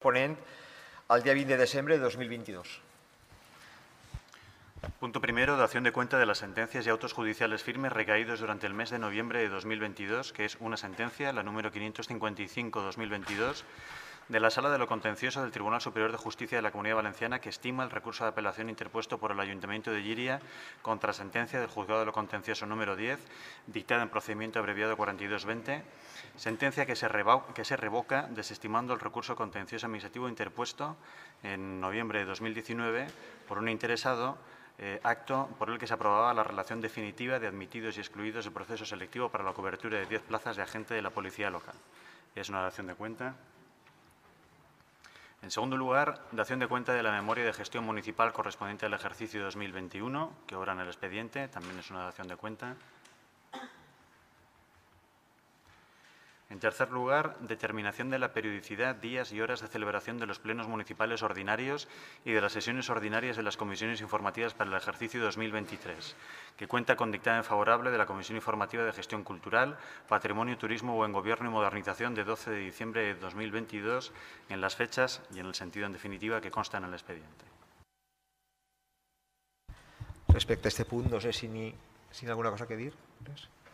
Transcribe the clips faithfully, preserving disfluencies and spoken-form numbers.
corresponent al día veinte de diciembre de dos mil veintidós. Punto primero, dación de cuenta de las sentencias y autos judiciales firmes recaídos durante el mes de noviembre de dos mil veintidós, que es una sentencia, la número quinientos cincuenta y cinco barra dos mil veintidós, de la Sala de lo Contencioso del Tribunal Superior de Justicia de la Comunidad Valenciana, que estima el recurso de apelación interpuesto por el Ayuntamiento de Llíria contra sentencia del Juzgado de lo Contencioso número diez, dictada en procedimiento abreviado cuarenta y dos veinte, sentencia que se, que se revoca desestimando el recurso contencioso administrativo interpuesto en noviembre de dos mil diecinueve por un interesado, Eh, acto por el que se aprobaba la relación definitiva de admitidos y excluidos del proceso selectivo para la cobertura de diez plazas de agente de la policía local. Es una dación de cuenta. En segundo lugar, dación de cuenta de la memoria de gestión municipal correspondiente al ejercicio dos mil veintiuno, que obra en el expediente, también es una dación de cuenta. En tercer lugar, determinación de la periodicidad, días y horas de celebración de los plenos municipales ordinarios y de las sesiones ordinarias de las comisiones informativas para el ejercicio dos mil veintitrés, que cuenta con dictamen favorable de la Comisión Informativa de Gestión Cultural, Patrimonio, Turismo, Buen Gobierno y Modernización de doce de diciembre de dos mil veintidós en las fechas y en el sentido en definitiva que consta en el expediente. Respecte a este punt, no sé si n'hi si ha alguna cosa que dir.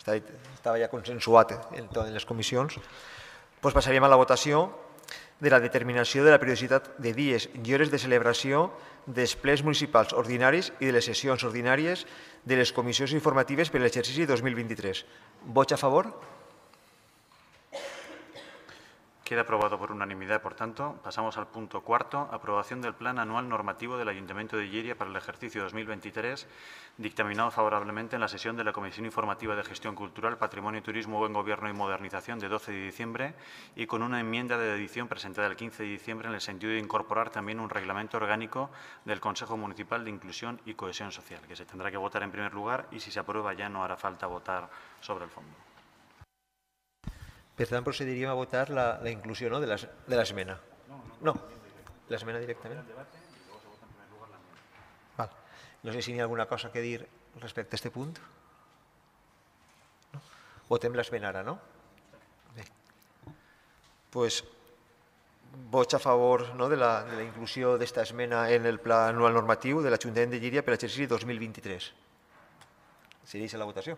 Estava ja consensuat en, en les comissions. Pues passaríem a la votació de la determinació de la periodicitat de dies i hores de celebració dels plens municipals ordinaris i de les sessions ordinàries de les comissions informatives per a l'exercici dos mil vint-i-tres. Vots a favor? Queda aprobado por unanimidad, por tanto. Pasamos al punto cuarto, aprobación del Plan Anual Normativo del Ayuntamiento de Llíria para el ejercicio dos mil veintitrés, dictaminado favorablemente en la sesión de la Comisión Informativa de Gestión Cultural, Patrimonio, Turismo, Buen Gobierno y Modernización de doce de diciembre y con una enmienda de edición presentada el quince de diciembre en el sentido de incorporar también un reglamento orgánico del Consejo Municipal de Inclusión y Cohesión Social, que se tendrá que votar en primer lugar y si se aprueba ya no hará falta votar sobre el fondo. Per tant, procediríem a votar la, la inclusió no, de l'esmena. No, l'esmena directament. Val. No sé si hi ha alguna cosa que dir respecte a aquest punt. No? Votem l'esmena ara, no? Bé. Pues, vots a favor no, de, la, de la inclusió d'esta esmena en el pla anual normatiu de l'Ajuntament de Llíria per l'exercici dos mil vint-i-tres. Segueix la votació.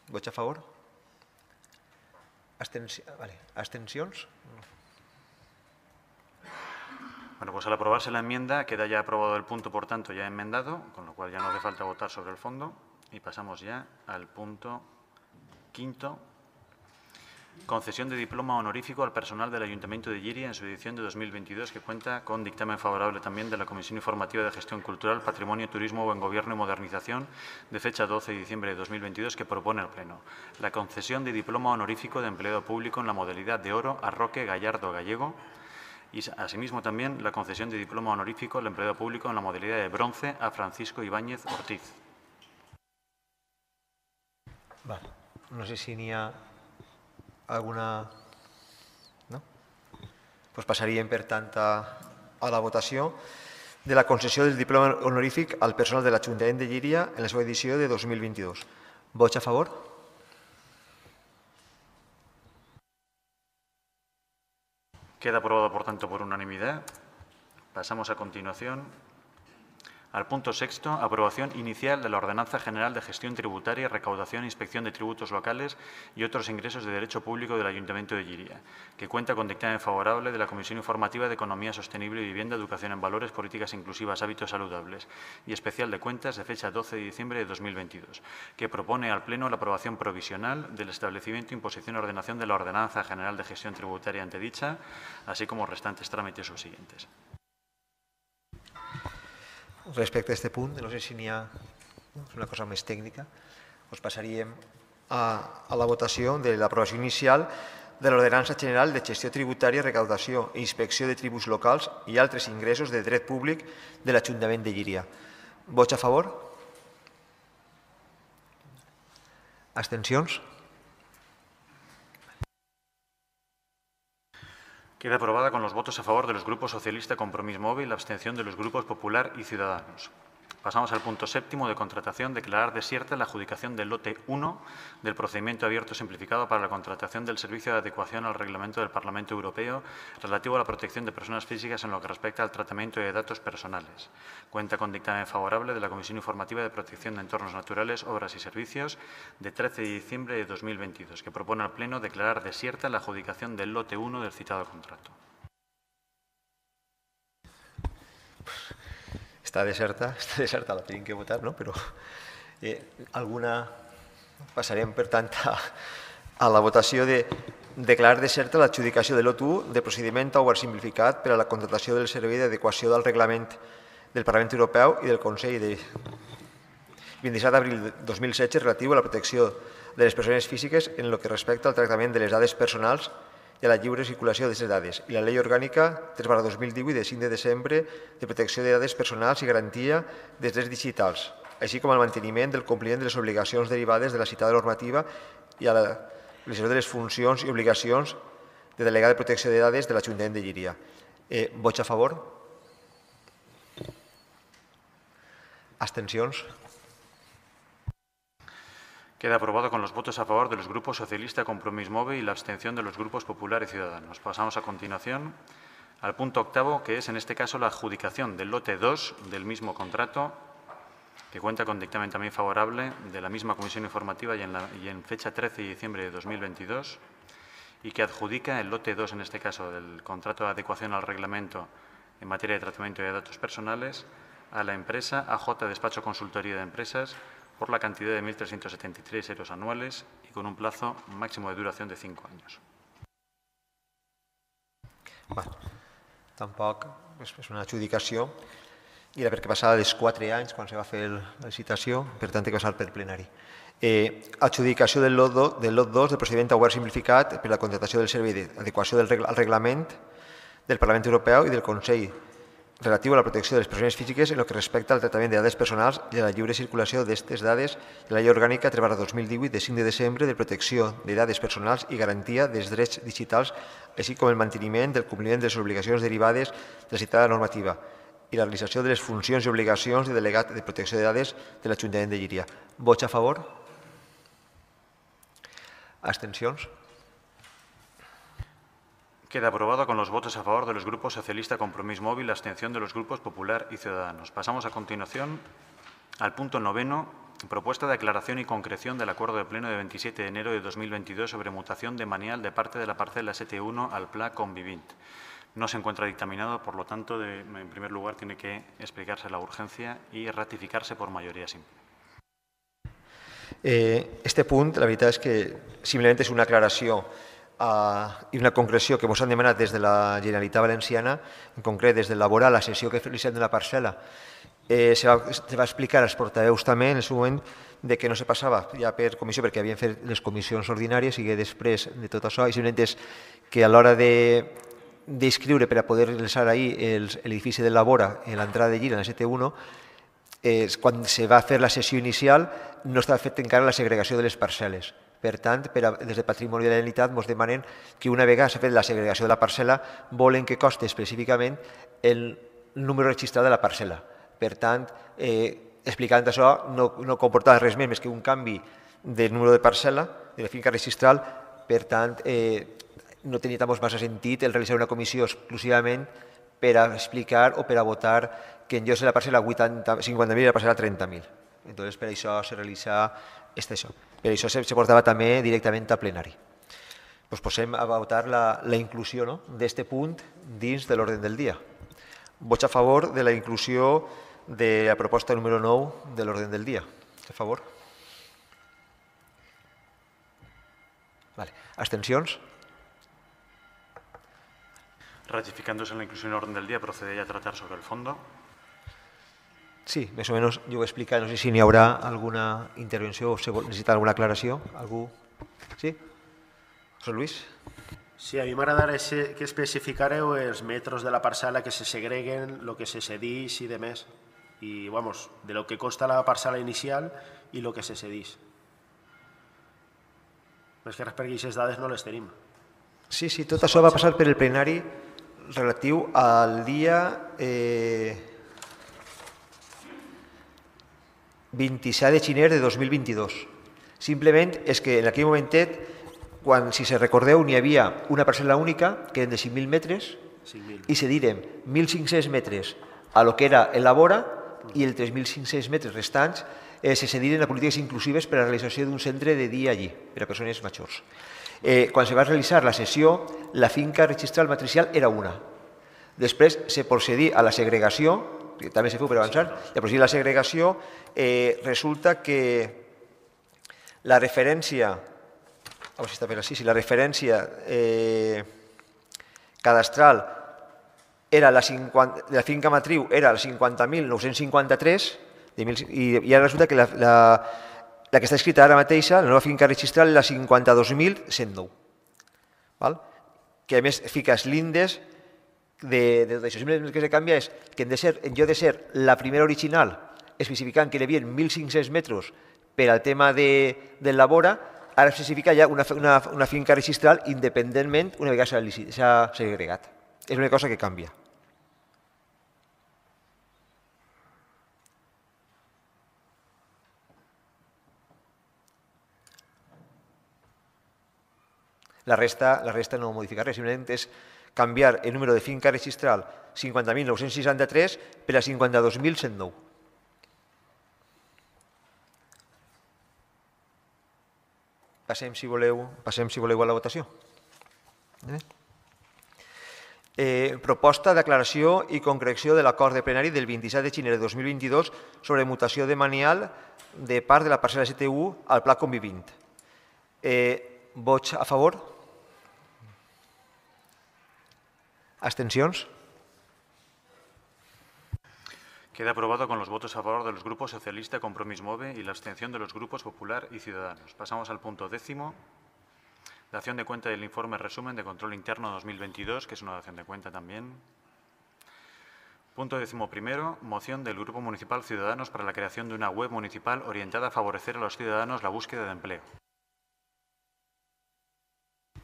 Vots a favor? Abstenci vale. ¿Abstencions? Bueno, pues al aprobarse la enmienda queda ya aprobado el punto, por tanto, ya enmendado, con lo cual ya no hace falta votar sobre el fondo. Y pasamos ya al punto quinto. Concesión de diploma honorífico al personal del Ayuntamiento de Llíria en su edición de dos mil veintidós, que cuenta con dictamen favorable también de la Comisión Informativa de Gestión Cultural, Patrimonio, Turismo, Buen Gobierno y Modernización de fecha doce de diciembre de dos mil veintidós, que propone el Pleno. La concesión de diploma honorífico de empleado público en la modalidad de oro a Roque Gallardo Gallego y, asimismo, también la concesión de diploma honorífico al empleado público en la modalidad de bronce a Francisco Ibáñez Ortiz. Va. No sé si n'hi ha alguna... No? Pues passaríem, per tant, a, a la votació de la concessió del diploma honorífic al personal de l'Ajuntament de Llíria en la seva edició de dos mil veintidós. Vots a favor? Queda aprobado, por tanto, por unanimidad. Pasamos a continuación al punto sexto, aprobación inicial de la Ordenanza General de Gestión Tributaria, Recaudación e Inspección de Tributos Locales y otros ingresos de derecho público del Ayuntamiento de Llíria, que cuenta con dictamen favorable de la Comisión Informativa de Economía Sostenible y Vivienda, Educación en Valores, Políticas Inclusivas, Hábitos Saludables y Especial de Cuentas de fecha doce de diciembre de dos mil veintidós, que propone al Pleno la aprobación provisional del establecimiento, imposición y ordenación de la Ordenanza General de Gestión Tributaria antedicha, así como restantes trámites subsiguientes. Respecte a aquest punt, no sé si n'hi ha una cosa més tècnica, doncs passaríem a, a la votació de l'aprovació inicial de l'Ordenança General de Gestió Tributària, Recaudació i Inspecció de Tributs Locals i altres ingressos de dret públic de l'Ajuntament de Llíria. Vots a favor? Abstencions? Queda aprobada con los votos a favor de los grupos Socialista, Compromís Móvil, la abstención de los grupos Popular y Ciudadanos. Pasamos al punto séptimo de contratación. Declarar desierta la adjudicación del lote uno del procedimiento abierto simplificado para la contratación del servicio de adecuación al reglamento del Parlamento Europeo relativo a la protección de personas físicas en lo que respecta al tratamiento de datos personales. Cuenta con dictamen favorable de la Comisión Informativa de Protección de Entornos Naturales, Obras y Servicios de trece de diciembre de dos mil veintidós, que propone al Pleno declarar desierta la adjudicación del lote uno del citado contrato. Està deserta, està deserta, la tenim que votar, no? Però eh, alguna... Passarem, per tant, a, a la votació de declarar deserta l'adjudicació de lot u de procediment obert simplificat per a la contratació del servei d'adequació del reglament del Parlament Europeu i del Consell de vint-i-set d'abril de dos mil setze relatiu a la protecció de les persones físiques en el que respecta al tractament de les dades personals i a la lliure circulació d'aquestes dades, i la Llei Orgànica tres barra dos mil divuit de cinc de desembre de protecció de dades personals i garantia dels drets digitals, així com el manteniment del compliment de les obligacions derivades de la citada normativa i a la realització de les funcions i obligacions de delegat de protecció de dades de l'Ajuntament de Llíria. Eh, vots a favor? Abstencions? Queda aprobado con los votos a favor de los grupos Socialista, Compromís Move y la abstención de los grupos Popular y Ciudadanos. Pasamos a continuación al punto octavo, que es en este caso la adjudicación del lote dos del mismo contrato, que cuenta con dictamen también favorable de la misma Comisión Informativa y en, la, y en fecha trece de diciembre de dos mil veintidós, y que adjudica el lote dos, en este caso del contrato de adecuación al reglamento en materia de tratamiento de datos personales, a la empresa A J Despacho Consultoría de Empresas, por la cantidad de mil trescientos setenta y tres euros anuales y con un plazo máximo de duración de cinco años. Bueno, tampoc és una adjudicació i era perquè passava dels quatre anys quan se va fer la licitació, per tant, que passar per plenari. Eh, adjudicació del lot dos del procediment obert simplificat per a la contratació del servei d'adequació al reglament del Parlament Europeu i del Consell relatiu a la protecció de les persones físiques en el que respecta al tractament de dades personals i a la lliure circulació d'aquestes dades de la Llei Orgànica tres barra dos mil divuit de cinc de desembre de protecció de dades personals i garantia dels drets digitals, així com el manteniment del compliment de les obligacions derivades de la citada normativa i la realització de les funcions i obligacions de delegat de protecció de dades de l'Ajuntament de Llíria. Vots a favor? Abstencions? Queda aprobado con los votos a favor de los grupos Socialista, Compromís Móvil y la abstención de los grupos Popular y Ciudadanos. Pasamos a continuación al punto noveno, propuesta de aclaración y concreción del acuerdo de pleno de veintisiete de enero de dos mil veintidós sobre mutación de manial de parte de la parcela S T uno al Pla Convivint. No se encuentra dictaminado, por lo tanto, de, en primer lugar, tiene que explicarse la urgencia y ratificarse por mayoría simple. Eh, este punt, la veritat és que simplement és una aclaració Uh, i una concreció que ens han demanat des de la Generalitat Valenciana, en concret des de l'elaborar la sessió que realitzem de la parcel·la. Eh, se, va, se va explicar als portaveus també en el seu moment de que no se passava ja per comissió perquè havien fet les comissions ordinàries i que després de tot això, i simplement és que a l'hora d'inscriure per a poder realitzar ahir l'edifici de Labora en l'entrada de Llíria, en la S T uno, eh, quan se va fer la sessió inicial no estava fet encara la segregació de les parcel·les. Per tant, per a, des de Patrimoni de la Generalitat ens demanen que una vegada s'ha fet la segregació de la parcel·la volen que costi específicament el número registrat de la parcel·la. Per tant, eh, explicant això, no, no comportava res més, més que un canvi del número de parcel·la, de la finca registral. Per tant, eh, no tenia tampoc massa sentit el realitzar una comissió exclusivament per a explicar o per a votar que en lloc de la parcel·la cinquanta mil i la parcel·la trenta mil. Entonces, per això se realitza este això. Per això se portava també directament a plenari. Pues posem a votar la, la inclusió, no?, d'aquest punt dins de l'ordre del dia. Vots a favor de la inclusió de la proposta número nou de l'ordre del dia. A favor? Vale. Abstencions? Ratificándose la inclusión en el orden del día, procede ya a tratar sobre el fondo. Sí, més o menys jo ho he explicat. No sé si n'hi haurà alguna intervenció o necessita alguna aclaració. Algú? Sí? José Luis? Sí, a mi m'agradaria que especificareu els metros de la parcel·la que se segreguen, el que se cedeix i demés. I, vamos, de lo que costa la parcel·la inicial i el que se cedeix. És que perquè aquestes dades no les tenim. Sí, sí, tot això va passar per el plenari relatiu al dia... Eh... vint-i-set de gener de dos mil vint-i-dos. Simplement és que en aquell momentet, quan, si se recordeu, n'hi havia una parcel·la única, que eren de cinc mil metres, i se diren mil cinc-cents metres a lo que era el Labora i els tres mil cinc-cents metres restants eh, se cediren a polítiques inclusives per a la realització d'un centre de dia allí, per a persones majors. Eh, quan se va realitzar la sessió, la finca registral matricial era una. Després se procedí a la segregació, que també se feu per avançar, i a procedir a la segregació eh, resulta que la referència, a veure si està per així, si la referència eh, cadastral era la, cinquanta, la finca matriu era la cinquanta mil nou-cents cinquanta-tres i, i ara resulta que la, la, la que està escrita ara mateixa, la nova finca registral, la cinquanta-dos mil cent nou. Val? Que a més fica els lindes de, de tot això. El que se canvia és que en, de ser, en lloc de ser la primera original, especificant que hi havia mil cinc-cents metres per al tema de, del Labora, ara s'especifica ja una, una, una finca registral independentment una vegada s'ha segregat. És una cosa que canvia. La resta, la resta no modifica res, simplement és canviar el número de finca registral cinquanta mil nou-cents seixanta-tres per a cinquanta-dos mil cent nou. Passem, si voleu, passem, si voleu, a la votació. Eh? Eh, proposta d'aclaració i concreció de l'acord de plenari del vint-i-set de gener de dos mil vint-i-dos sobre mutació de manial de part de la parcel·la S T U al pla convivint. Eh, vots a favor? Abstencions? Queda aprobado con los votos a favor de los grupos Socialista, Compromís Move y la abstención de los grupos Popular y Ciudadanos. Pasamos al punto décimo. Dación de cuenta del informe resumen de control interno dos mil veintidós, que es una dación de cuenta también. Punto décimo primero, moción del Grupo Municipal Ciudadanos para la creación de una web municipal orientada a favorecer a los ciudadanos la búsqueda de empleo.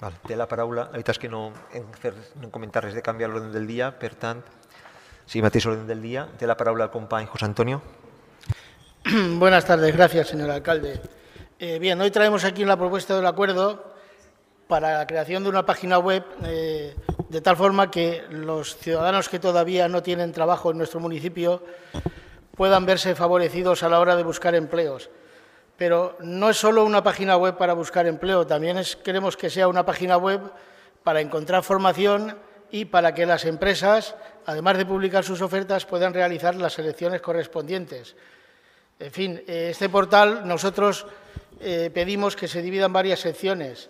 Val, té la paraula. La veritat és que no hem fet no comentar res de canviar l'ordre del dia, per tant, sí, mateix orden del día. Té la palabra el compañero José Antonio. Buenas tardes, gracias, señor alcalde. Eh, bien, hoy traemos aquí la propuesta del acuerdo para la creación de una página web eh, de tal forma que los ciudadanos que todavía no tienen trabajo en nuestro municipio puedan verse favorecidos a la hora de buscar empleos. Pero no es solo una página web para buscar empleo, también es, queremos que sea una página web para encontrar formación y para que las empresas, además de publicar sus ofertas, puedan realizar las selecciones correspondientes. En fin, este portal nosotros eh, pedimos que se divida en varias secciones,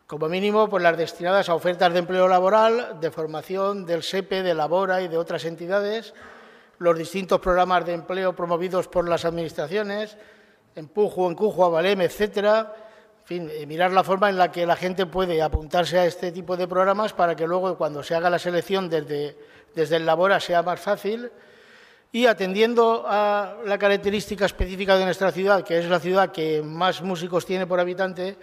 como mínimo pues las destinadas a ofertas de empleo laboral, de formación, del S E P E, de Labora y de otras entidades, los distintos programas de empleo promovidos por las administraciones, Empujo, Encujo, Avalem, etcétera. En fin, eh, mirar la forma en la que la gente puede apuntarse a este tipo de programas para que luego, cuando se haga la selección desde, desde el Labora, sea más fácil. Y atendiendo a la característica específica de nuestra ciudad, que es la ciudad que más músicos tiene por habitante,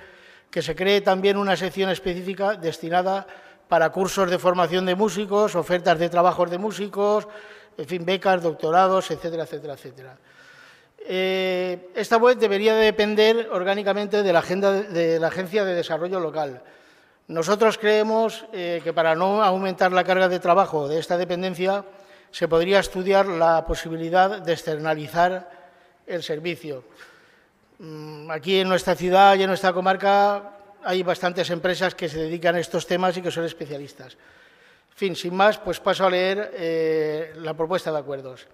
que se cree también una sección específica destinada para cursos de formación de músicos, ofertas de trabajos de músicos, en fin, becas, doctorados, etcétera, etcétera, etcétera. Eh, esta web debería de depender orgánicamente de la, agenda de, de la Agencia de Desarrollo Local. Nosotros creemos eh, que para no aumentar la carga de trabajo de esta dependencia se podría estudiar la posibilidad de externalizar el servicio. Aquí en nuestra ciudad y en nuestra comarca hay bastantes empresas que se dedican a estos temas y que son especialistas. En fin, sin más, pues paso a leer eh, la propuesta de acuerdos.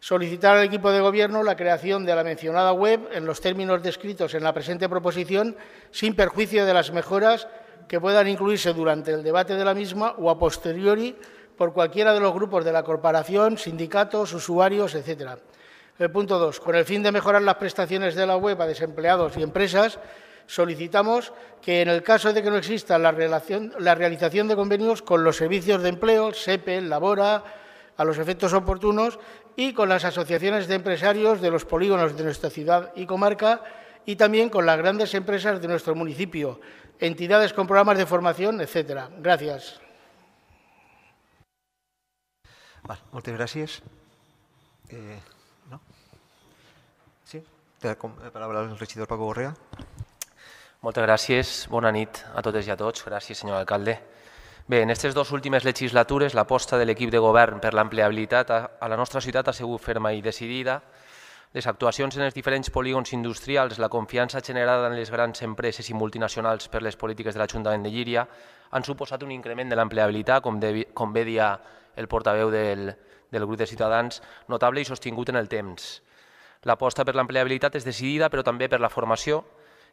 Solicitar al equipo de Gobierno la creación de la mencionada web en los términos descritos en la presente proposición, sin perjuicio de las mejoras que puedan incluirse durante el debate de la misma o a posteriori por cualquiera de los grupos de la corporación, sindicatos, usuarios, etcétera. El punto dos. Con el fin de mejorar las prestaciones de la web a desempleados y empresas, solicitamos que, en el caso de que no exista la, relación, la realización de convenios con los servicios de empleo, S E P E, Labora, a los efectos oportunos, y con las asociaciones de empresarios de los polígonos de nuestra ciudad y comarca, y también con las grandes empresas de nuestro municipio, entidades con programas de formación, etcétera. Gracias. Vale, moltes gràcies. Eh, no? Sí, té la paraula el regidor Paco Borrea. Moltes gràcies, bona nit a totes i a tots. Gràcies, senyor alcalde. Bé, en aquestes dues últimes legislatures l'aposta de l'equip de govern per l'ampliabilitat a la nostra ciutat ha sigut ferma i decidida. Les actuacions en els diferents polígons industrials, la confiança generada en les grans empreses i multinacionals per les polítiques de l'Ajuntament de Llíria han suposat un increment de l'ampliabilitat, com, com bé dia el portaveu del, del grup de Ciutadans, notable i sostingut en el temps. L'aposta per l'ampliabilitat és decidida, però també per la formació.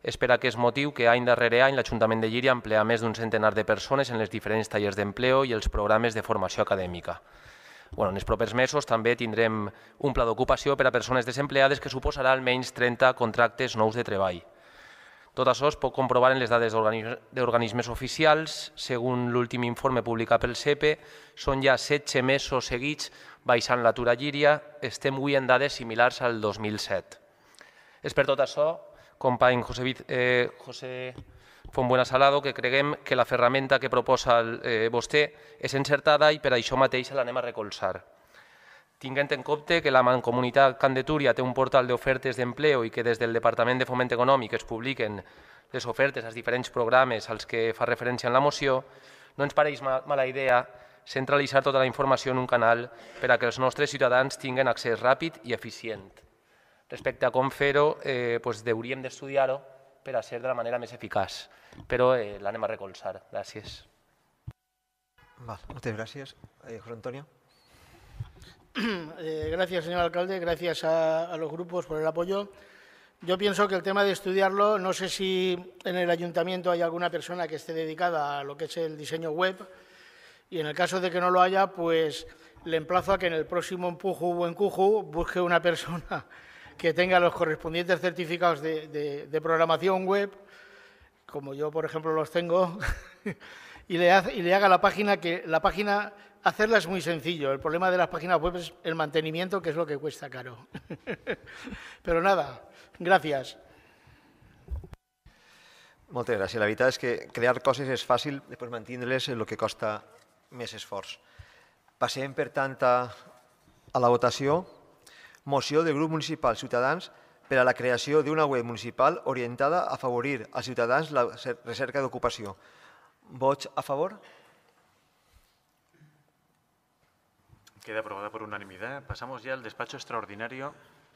És per aquest motiu que any darrere any l'Ajuntament de Llíria emplea més d'un centenar de persones en els diferents tallers d'empleo i els programes de formació acadèmica. Bueno, en els propers mesos també tindrem un pla d'ocupació per a persones desempleades que suposarà almenys trenta contractes nous de treball. Tot això es pot comprovar en les dades d'organismes oficials. Segons l'últim informe publicat pel C E P E, són ja setze mesos seguits baixant l'atur a Llíria. Estem avui en dades similars al dos mil set. És per tot això, company José, eh, José Fontbuena Salado, que creguem que la ferramenta que proposa eh, vostè és encertada i per això mateix l'anem a recolzar. Tinguent en compte que la Mancomunitat Camp de Túria té un portal d'ofertes d'empleo i que des del Departament de Foment Econòmic es publiquen les ofertes als diferents programes als que fa referència en la moció, no ens pareix mala idea centralitzar tota la informació en un canal per a que els nostres ciutadans tinguin accés ràpid i eficient. Respecte a com fer-ho, eh, doncs hauríem d'estudiar-ho per a ser de la manera més eficaç, però eh, l'anem a recolzar. Gràcies. Val, moltes gràcies. Eh, José Antonio. Eh, gracias, señor alcalde. Gracias a, a los grupos por el apoyo. Yo pienso que el tema de estudiarlo, no sé si en el ayuntamiento hay alguna persona que esté dedicada a lo que es el diseño web, y en el caso de que no lo haya, pues le emplazo a que en el próximo Empuju o Encuju busque una persona que tenga los correspondientes certificados de, de, de programación web, como yo, por ejemplo, los tengo, y, le hace, y le haga la página, que la página, hacerla es muy sencillo. El problema de las páginas web es el mantenimiento, que es lo que cuesta caro. Però nada, gràcies. Moltes gràcies. La veritat és que crear coses és fàcil, després mantenir-les és el que costa més esforç. Passem, per tant, a, a la votació. Moció del grup municipal Ciutadans per a la creació d'una web municipal orientada a afavorir als ciutadans la recerca d'ocupació. Vots a favor? Queda aprobada por unanimidad. Pasamos ya al despacho extraordinario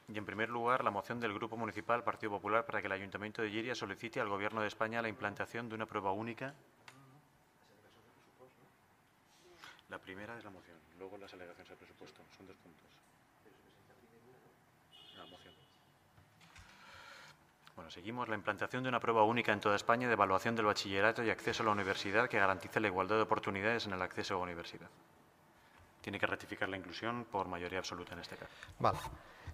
y, en primer lugar, la moción del Grupo Municipal Partido Popular para que el Ayuntamiento de Llíria solicite al Gobierno de España la implantación de una prueba única. La primera es la moción, luego las alegaciones al presupuesto. Son dos puntos. La moción. Bueno, seguimos. La implantación de una prueba única en toda España de evaluación del bachillerato y acceso a la universidad que garantice la igualdad de oportunidades en el acceso a la universidad. Tiene que ratificar la inclusión por mayoría absoluta en este caso. Val.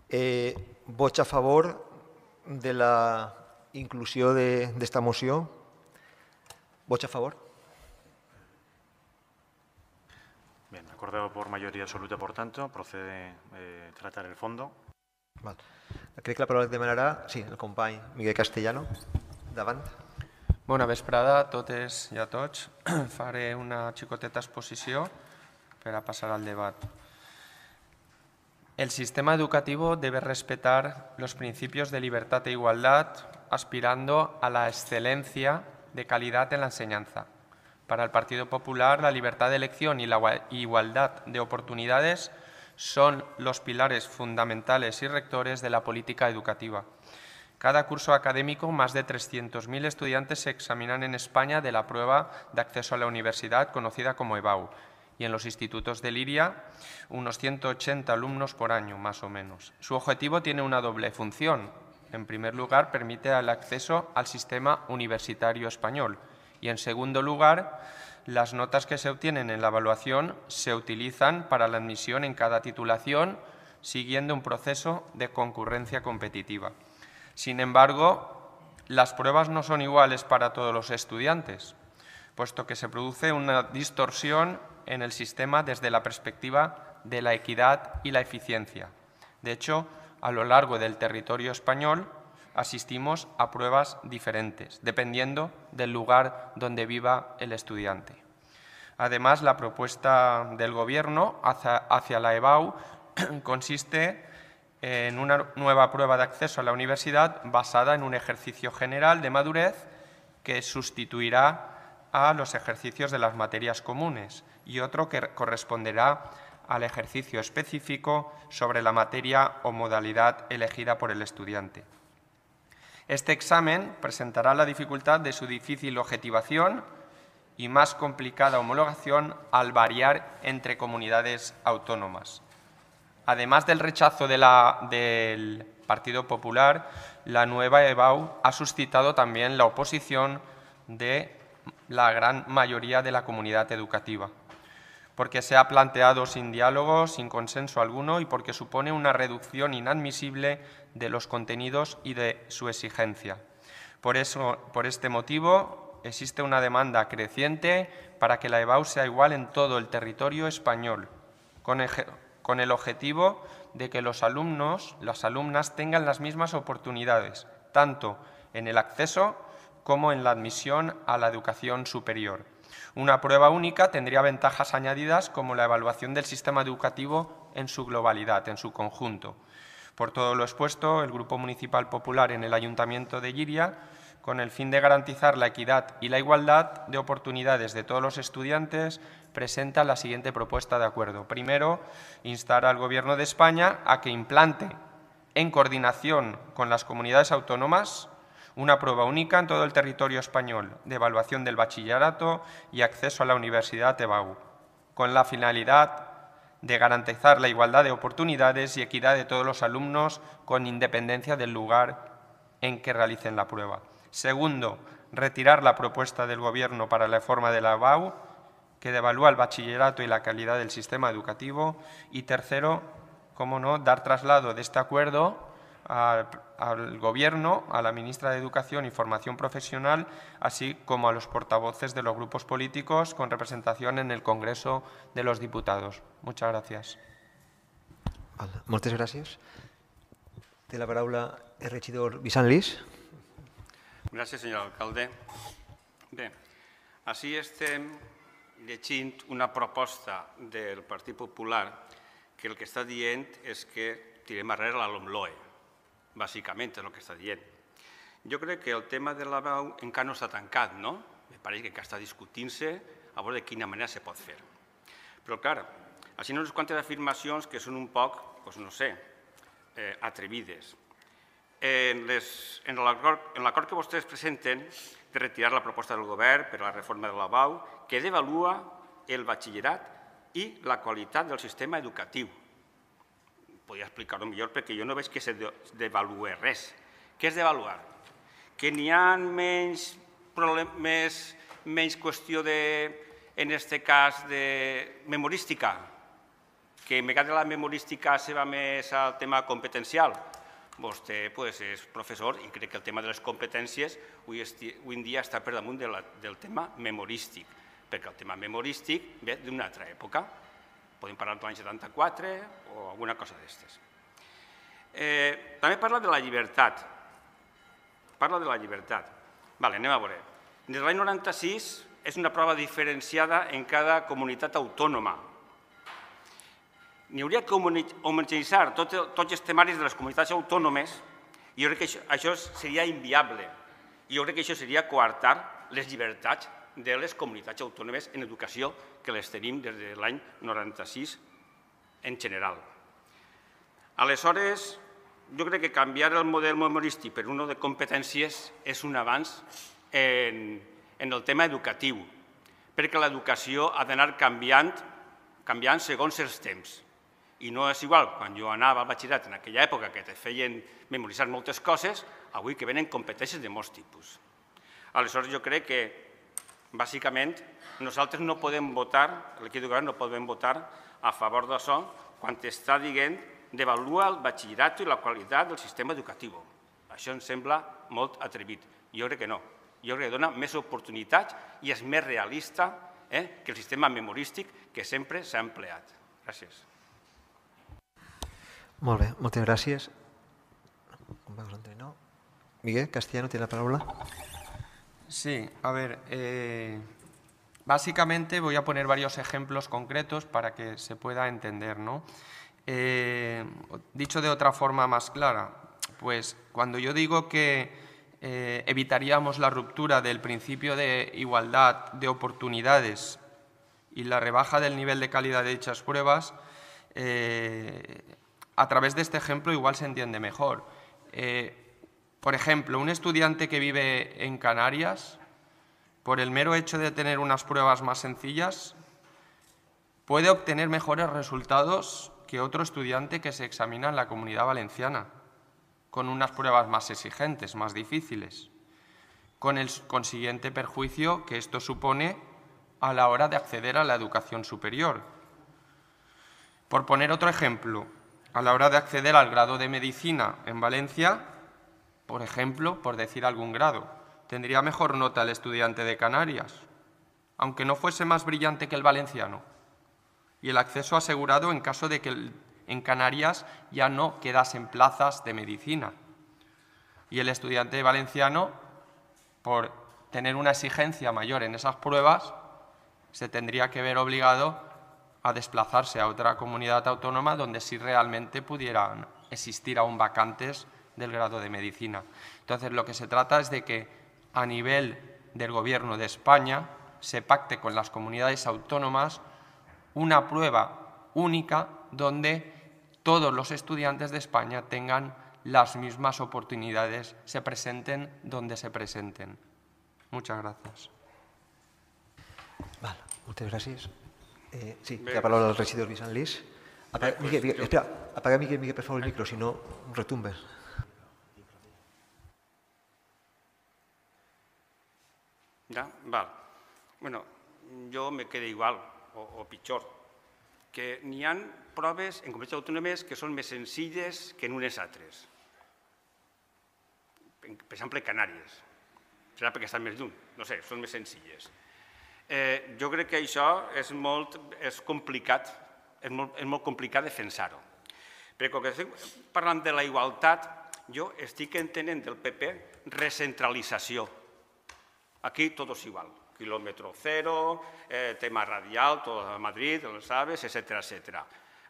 Eh, vots a favor de la inclusió d'esta moció? Vots a favor? Bien, acordado por mayoría absoluta, por tanto, procede eh, tratar el fondo. Val. Crec que la paraula que demanarà, sí, el company Miguel Castellano. Davant. Bona vesprada a totes i a tots. Faré una xicoteta exposició per a passar al debat. El sistema educativo debe respetar los principios de libertad e igualdad, aspirando a la excelencia de calidad en la enseñanza. Para el Partido Popular, la libertad de elección y la igualdad de oportunidades son los pilares fundamentales y rectores de la política educativa. Cada curso académico, más de trescientos mil estudiantes se examinan en España de la prueba de acceso a la universidad, conocida como EBAU, y en los institutos de Llíria, unos ciento ochenta alumnos por año, más o menos. Su objetivo tiene una doble función. En primer lugar, permite el acceso al sistema universitario español y, en segundo lugar, las notas que se obtienen en la evaluación se utilizan para la admisión en cada titulación, siguiendo un proceso de concurrencia competitiva. Sin embargo, las pruebas no son iguales para todos los estudiantes, puesto que se produce una distorsión en el sistema desde la perspectiva de la equidad y la eficiencia. De hecho, a lo largo del territorio español asistimos a pruebas diferentes, dependiendo del lugar donde viva el estudiante. Además, la propuesta del Gobierno hacia, hacia la EBAU consiste en una nueva prueba de acceso a la universidad basada en un ejercicio general de madurez que sustituirá a los ejercicios de las materias comunes y otro que corresponderá al ejercicio específico sobre la materia o modalidad elegida por el estudiante. Este examen presentará la dificultad de su difícil objetivación y más complicada homologación al variar entre comunidades autónomas. Además del rechazo de la, del Partido Popular, la nueva E B A U ha suscitado también la oposición de la gran mayoría de la comunidad educativa, porque se ha planteado sin diálogo, sin consenso alguno y porque supone una reducción inadmisible de los contenidos y de su exigencia. Por, eso, por este motivo, existe una demanda creciente para que la E B A U sea igual en todo el territorio español, con, con el objetivo de que los alumnos, las alumnas tengan las mismas oportunidades, tanto en el acceso como en la admisión a la educación superior. Una prueba única tendría ventajas añadidas como la evaluación del sistema educativo en su globalidad, en su conjunto. Por todo lo expuesto, el Grupo Municipal Popular en el Ayuntamiento de Llíria, con el fin de garantizar la equidad y la igualdad de oportunidades de todos los estudiantes, presenta la siguiente propuesta de acuerdo. Primero, instar al Gobierno de España a que implante, en coordinación con las comunidades autónomas, una prueba única en todo el territorio español de evaluación del bachillerato y acceso a la Universidad E B A U, con la finalidad de garantizar la igualdad de oportunidades y equidad de todos los alumnos con independencia del lugar en que realicen la prueba. Segundo, retirar la propuesta del Gobierno para la reforma de la E B A U, que devalúa el bachillerato y la calidad del sistema educativo. Y tercero, cómo no, dar traslado de este acuerdo al, al Gobierno, a la ministra de Educación y Formación Profesional, así como a los portavoces de los grupos políticos con representación en el Congreso de los Diputados. Muchas gràcies. Moltes gràcies. Té la paraula el regidor Vicent Lis. Gràcies, senyor alcalde. Bé, així estem llegint una proposta del Partit Popular que el que està dient és que tirem arrere la LOMLOE. Bàsicament és el que està dient. Jo crec que el tema de la E B A U encara no està tancat, no? Me pareix que encara està discutint-se a veure de quina manera se pot fer. Però, clar, així no unes quantes afirmacions que són un poc, doncs no sé, atrevides. En l'acord que vostès presenten de retirar la proposta del govern per a la reforma de la E B A U, que devalua el batxillerat i la qualitat del sistema educatiu. Podria explicar-ho millor perquè jo no veig que se devalue res. Què és devaluar? Que n'hi ha menys qüestió de, en aquest cas, de memorística, que en vegada la memorística se va més al tema competencial. Vostè és professor i crec que el tema de les competències avui en dia està per damunt del tema memorístic, perquè el tema memorístic ve d'una altra època. Podem parlar de l'any setanta-quatre o alguna cosa d'aquestes. També parla de la llibertat. Parla de la llibertat. Vale, anem a veure. Des de l'any noranta-sis és una prova diferenciada en cada comunitat autònoma. N'hi hauria que homogeneïtzar tots els temaris de les comunitats autònomes i jo crec que això seria inviable. I jo crec que això seria coartar les llibertats de les comunitats autònomes en educació que les tenim des de l'any noranta-sis en general. Aleshores, jo crec que canviar el model memorístic per un de competències és un avanç en el tema educatiu, perquè l'educació ha d'anar canviant segons els temps. I no és igual quan jo anava al batxillerat en aquella època que te feien memoritzar moltes coses, avui que venen competències de molts tipus. Aleshores, jo crec que, bàsicament, nosaltres no podem votar, l'equip de govern no podem votar a favor d'això quan està dient devalua el batxillerat i la qualitat del sistema educatiu. Això em sembla molt atrevit. Jo crec que no. Jo crec que dona més oportunitats i és més realista que el sistema memorístic que sempre s'ha empleat. Gràcies. Molt bé, moltes gràcies. Miguel Castellano tiene la palabra. Sí, a ver, eh, básicamente voy a poner varios ejemplos concretos para que se pueda entender, ¿no? Eh, dicho de otra forma más clara, pues cuando yo digo que eh, evitaríamos la ruptura del principio de igualdad de oportunidades y la rebaja del nivel de calidad de dichas pruebas, eh, a través de este ejemplo igual se entiende mejor. Eh, por ejemplo, un estudiante que vive en Canarias, por el mero hecho de tener unas pruebas más sencillas, puede obtener mejores resultados que otro estudiante que se examina en la Comunidad Valenciana, con unas pruebas más exigentes, más difíciles, con el consiguiente perjuicio que esto supone a la hora de acceder a la educación superior. Por poner otro ejemplo, a la hora de acceder al grado de Medicina en Valencia, por ejemplo, por decir algún grado, tendría mejor nota el estudiante de Canarias, aunque no fuese más brillante que el valenciano, y el acceso asegurado en caso de que el, en Canarias ya no quedasen plazas de medicina. Y el estudiante valenciano, por tener una exigencia mayor en esas pruebas, se tendría que ver obligado a desplazarse a otra comunidad autónoma donde sí realmente pudieran existir aún vacantes del grado de medicina. Entonces, lo que se trata es de que a nivel del Gobierno de España se pacte con las comunidades autónomas una prueba única donde todos los estudiantes de España tengan las mismas oportunidades, se presenten donde se presenten. Muchas gracias. Vale, muchas gracias. Eh, sí, Bé, que ha parlat el regidor Vicent Lis. Apaga, pues, Miquel, Miquel, jo- espera, apaga, Miquel, Miquel, per favor, el micro, si no retumbes. Ja? Val. Bueno, jo me quedo igual, o, o pitjor, que n'hi ha proves en comunitats autònomes que són més senzilles que en unes altres. Per exemple, Canàries. Serà perquè estan més lluny, no sé, són més senzilles. Eh, jo crec que això és molt és complicat, és molt, és molt complicat defensar-ho. Perquè quan estic parlant de la igualtat, jo estic entenent del P P recentralització. Aquí tot és igual, quilòmetre zero, eh, tema radial, tot a Madrid, els aves, etcètera, etcètera.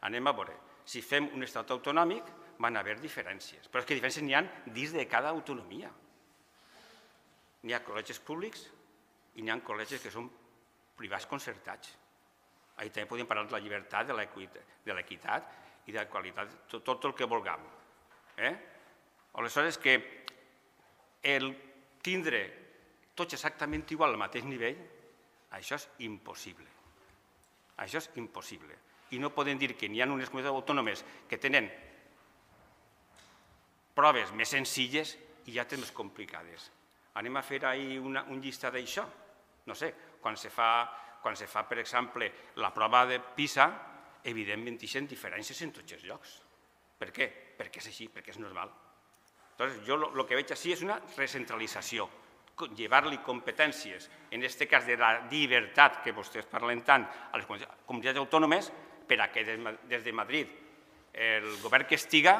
Anem a veure, si fem un estat autonòmic van haver diferències, però és que diferències n'hi ha dins de cada autonomia. N'hi ha col·legis públics i n'hi ha col·legis que són privats concertats. Ahí també podem parlar de la llibertat, de l'equitat i de la qualitat, tot, tot el que vulguem. Eh? Aleshores, que el tindre tots exactament igual al mateix nivell, això és impossible. Això és impossible. I no podem dir que n'hi ha unes comunitats autònomes que tenen proves més senzilles i altres més complicades. Anem a fer ahir una, un llistat d'això? No sé, quan se fa, quan se fa, per exemple, la prova de PISA, evidentment hi ha diferències en tots els llocs. Per què? Perquè és així, perquè és normal. Entonces, jo el que veig així és una recentralització, llevar-li competències, en aquest cas de la llibertat que vostès parlen tant a les comunitats autònomes, per a que des de Madrid el govern que estiga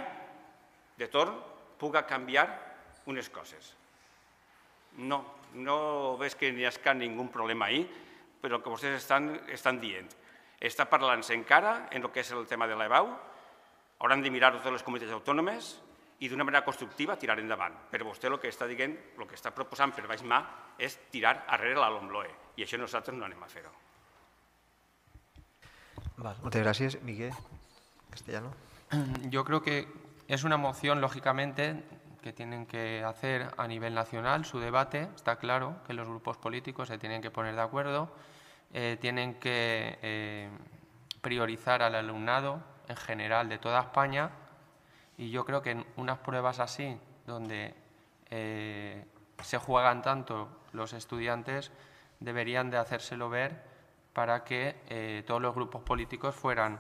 de torn pugui canviar unes coses. No, no veig que n'hi hagi ningú problema ahí, però el que vostès estan, estan dient. Està parlant-se encara en el que és el tema de l'E B A U, hauran de mirar totes les comunitats autònomes i d'una manera constructiva tirar endavant. Però vostè el que està dient, el que està proposant per baix mà és tirar arrere la LOMLOE i això nosaltres no anem a fer-ho. Vale, muchas gracias. Miguel Castellano. Yo creo que es una moción, lógicamente, que tienen que hacer a nivel nacional su debate. Está claro que los grupos políticos se tienen que poner de acuerdo, eh, tienen que eh, priorizar al alumnado en general de toda España y yo creo que en unas pruebas así, donde eh, se juegan tanto los estudiantes, deberían de hacérselo ver para que eh, todos los grupos políticos fueran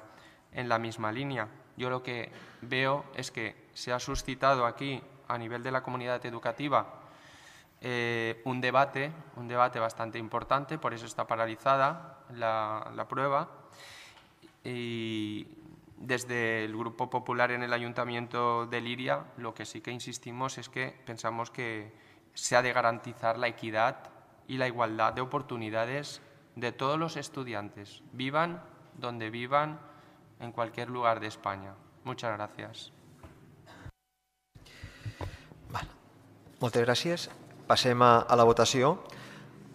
en la misma línea. Yo lo que veo es que se ha suscitado aquí, a nivel de la comunidad educativa, eh, un debate, un debate bastante importante, por eso está paralizada la, la prueba. Y desde el Grupo Popular en el Ayuntamiento de Liria, lo que sí que insistimos es que pensamos que se ha de garantizar la equidad y la igualdad de oportunidades de todos los estudiantes, vivan donde vivan en cualquier lugar de España. Muchas gracias. Vale. Moltes gràcies. Passem a, a la votació.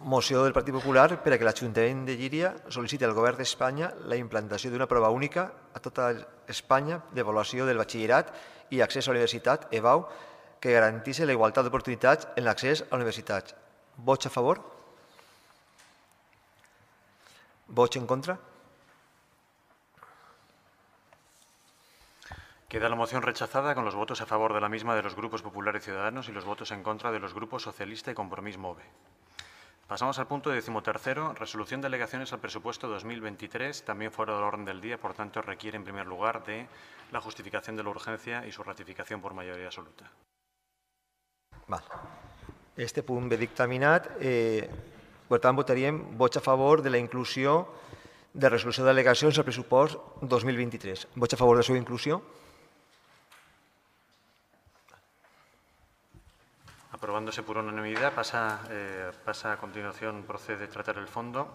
Moció del Partit Popular per a que l'Ajuntament de Llíria sol·liciti al Govern d'Espanya la implantació d'una prova única a tota Espanya d'avaluació del batxillerat i accés a la universitat, E B A U, que garanteixi la igualtat d'oportunitats en l'accés a la universitat. Vots a favor? Vots en contra? Queda la moción rechazada con los votos a favor de la misma de los grupos Popular y Ciudadanos y los votos en contra de los grupos Socialista y Compromís MOVE. Pasamos al punto decimotercero, resolución de alegaciones al presupuesto dos mil veintitrés, también fuera del orden del día, por tanto requiere en primer lugar de la justificación de la urgencia y su ratificación por mayoría absoluta. Val. Este punt ve dictaminat. Eh, per tant, votaríem vots a favor de la inclusió de resolució d'al·legacions al pressupost dos mil vint-i-tres. Vots a favor de la seva inclusió? Aprobándose por unanimidad, pasa, eh, pasa a continuación, procede a tratar el fondo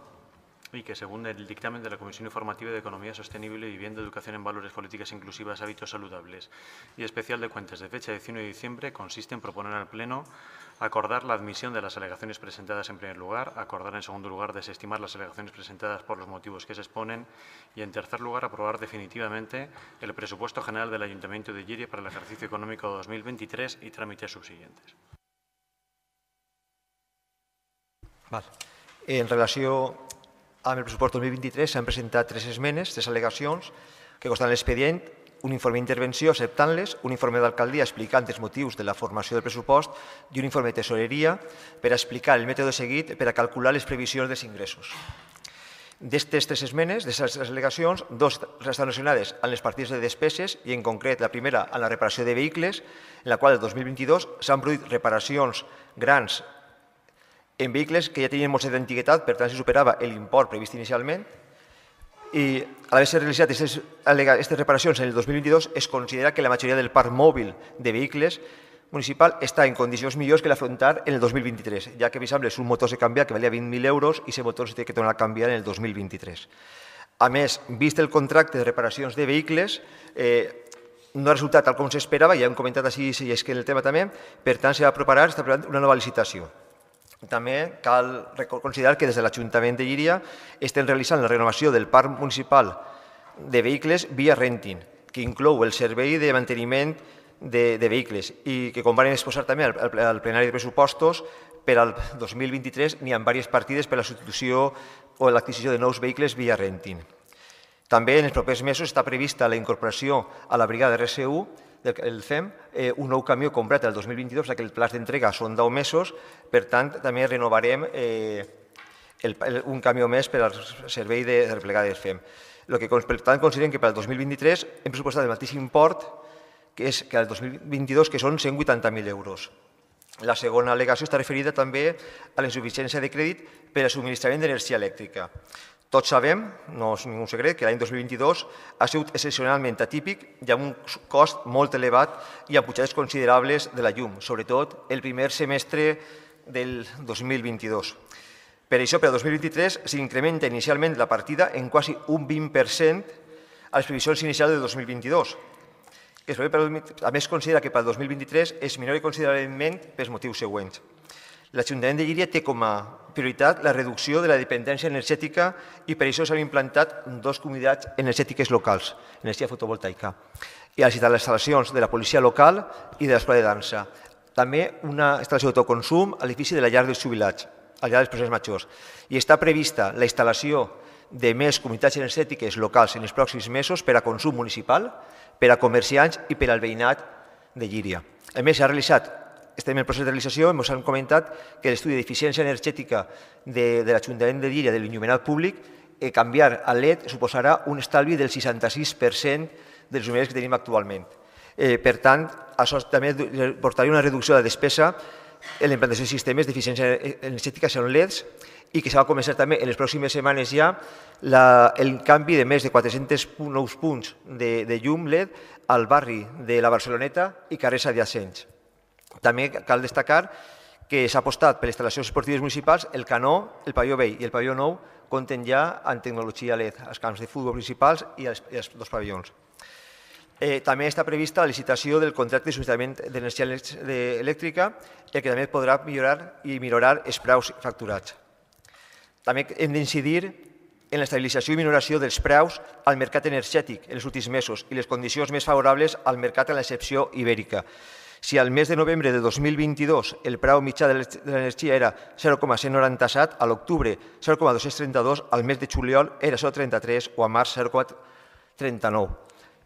y que, según el dictamen de la Comisión Informativa de Economía Sostenible, Vivienda, Educación en Valores, Políticas Inclusivas, Hábitos Saludables y Especial de Cuentas de fecha diecinueve de diciembre, consiste en proponer al Pleno acordar la admisión de las alegaciones presentadas en primer lugar, acordar en segundo lugar desestimar las alegaciones presentadas por los motivos que se exponen y, en tercer lugar, aprobar definitivamente el presupuesto general del Ayuntamiento de Llíria para el ejercicio económico dos mil veintitrés y trámites subsiguientes. Val. En relació amb el pressupost dos mil vint-i-tres s'han presentat tres esmenes, tres al·legacions que consten a l'expedient, un informe d'intervenció acceptant-les, un informe d'alcaldia explicant els motius de la formació del pressupost i un informe de tesoreria per a explicar el mètode seguit per a calcular les previsions dels ingressos. D'aquestes tres esmenes, d'aquestes al·legacions, dues estan relacionades amb les partides de despeses i, en concret, la primera amb la reparació de vehicles, en la qual el dos mil vint-i-dos s'han produït reparacions grans en vehicles que ja tenien molts d'antiguitat, per tant, se superava l'import previst inicialment, i a l'haver-se realitzat aquestes reparacions en el dos mil vint-i-dos es considera que la majoria del parc mòbil de vehicles municipal està en condicions millors que l'afrontar en el dos mil vint-i-tres, ja que, per exemple, és un motor de canviar que valia vint mil euros i aquest motor s'ha de tornar a canviar en el dos mil vint-i-tres. A més, vist el contracte de reparacions de vehicles, eh, no ha resultat tal com s'esperava, ja hem comentat així i és que en el tema també, per tant, s'ha de preparar, s'està preparant una nova licitació. També cal considerar que des de l'Ajuntament de Llíria estem realitzant la renovació del parc municipal de vehicles via renting, que inclou el servei de manteniment de, de vehicles i que, com van exposar també al, al plenari de pressupostos, per al dos mil vint-i-tres n'hi ha diverses partides per a la substitució o l'adquisició de nous vehicles via renting. També en els propers mesos està prevista la incorporació a la brigada R S U el F E M, eh, un nou camió comprat el dos mil vint-i-dos, ja que el pla d'entrega són deu mesos, per tant, també renovarem eh, el, el, un camió més per al servei de replegada del F E M. El que, per tant, considerem que per al dos mil vint-i-tres hem pressupostat el mateix import que és que el dos mil vint-i-dos, que són cent vuitanta mil euros. La segona al·legació està referida també a la insuficiència de crèdit per al subministrament d'energia elèctrica. Tots sabem, no és ningú secret, que l'any dos mil vint-i-dos ha sigut excepcionalment atípic i amb un cost molt elevat i amb pujades considerables de la llum, sobretot el primer semestre del dos mil vint-i-dos. Per això, per al dos mil vint-i-tres, s'incrementa inicialment la partida en quasi un vint per cent a les previsions inicials del dos mil vint-i-dos. A més, considera que per al dos mil vint-i-tres es minora considerablement pels motius següents. L'Ajuntament de Llíria té com a prioritat la reducció de la dependència energètica i per això s'han implantat dues comunitats energètiques locals, energia fotovoltaica, i a les instal·lacions de la policia local i de l'escola de dansa. També una instal·lació d'autoconsum a l'edifici de la llar dels jubilats, a la llar dels persones majors. I està prevista la instal·lació de més comunitats energètiques locals en els pròxims mesos per a consum municipal, per a comerciants i per al veïnat de Llíria. A més, s'ha realitzat estem en el procés de realització, ens han comentat que l'estudi d'eficiència energètica de, de l'Ajuntament de Llíria de l'enllumenat públic, eh, canviar a L E D suposarà un estalvi del seixanta-sis per cent dels llumeners que tenim actualment. Eh, per tant, això també portaria una reducció de la despesa en la implantació de sistemes d'eficiència energètica són L E Ds i que s'ha de començar també en les pròximes setmanes ja la, el canvi de més de quatre-cents nous punts de, de llum L E D al barri de la Barceloneta i carrers adjacents. També cal destacar que s'ha apostat per les instal·lacions esportives municipals el Canó, el Pavelló Vell i el Pavelló Nou compten ja amb tecnologia L E D als camps de futbol principals i als, i als dos pavellons. Eh, també està prevista la licitació del contracte de subministrament d'energia elèctrica, el que també podrà millorar i millorar els preus facturats. També hem d'incidir en l'estabilització i minoració dels preus al mercat energètic en els últims mesos i les condicions més favorables al mercat en l'excepció ibèrica. Si al mes de novembre de dos mil vint-i-dos el preu mitjà de l'energia era zero coma cent noranta-set, a l'octubre zero coma dos-cents trenta-dos, al mes de juliol era zero coma trenta-tres o a març zero coma trenta-nou.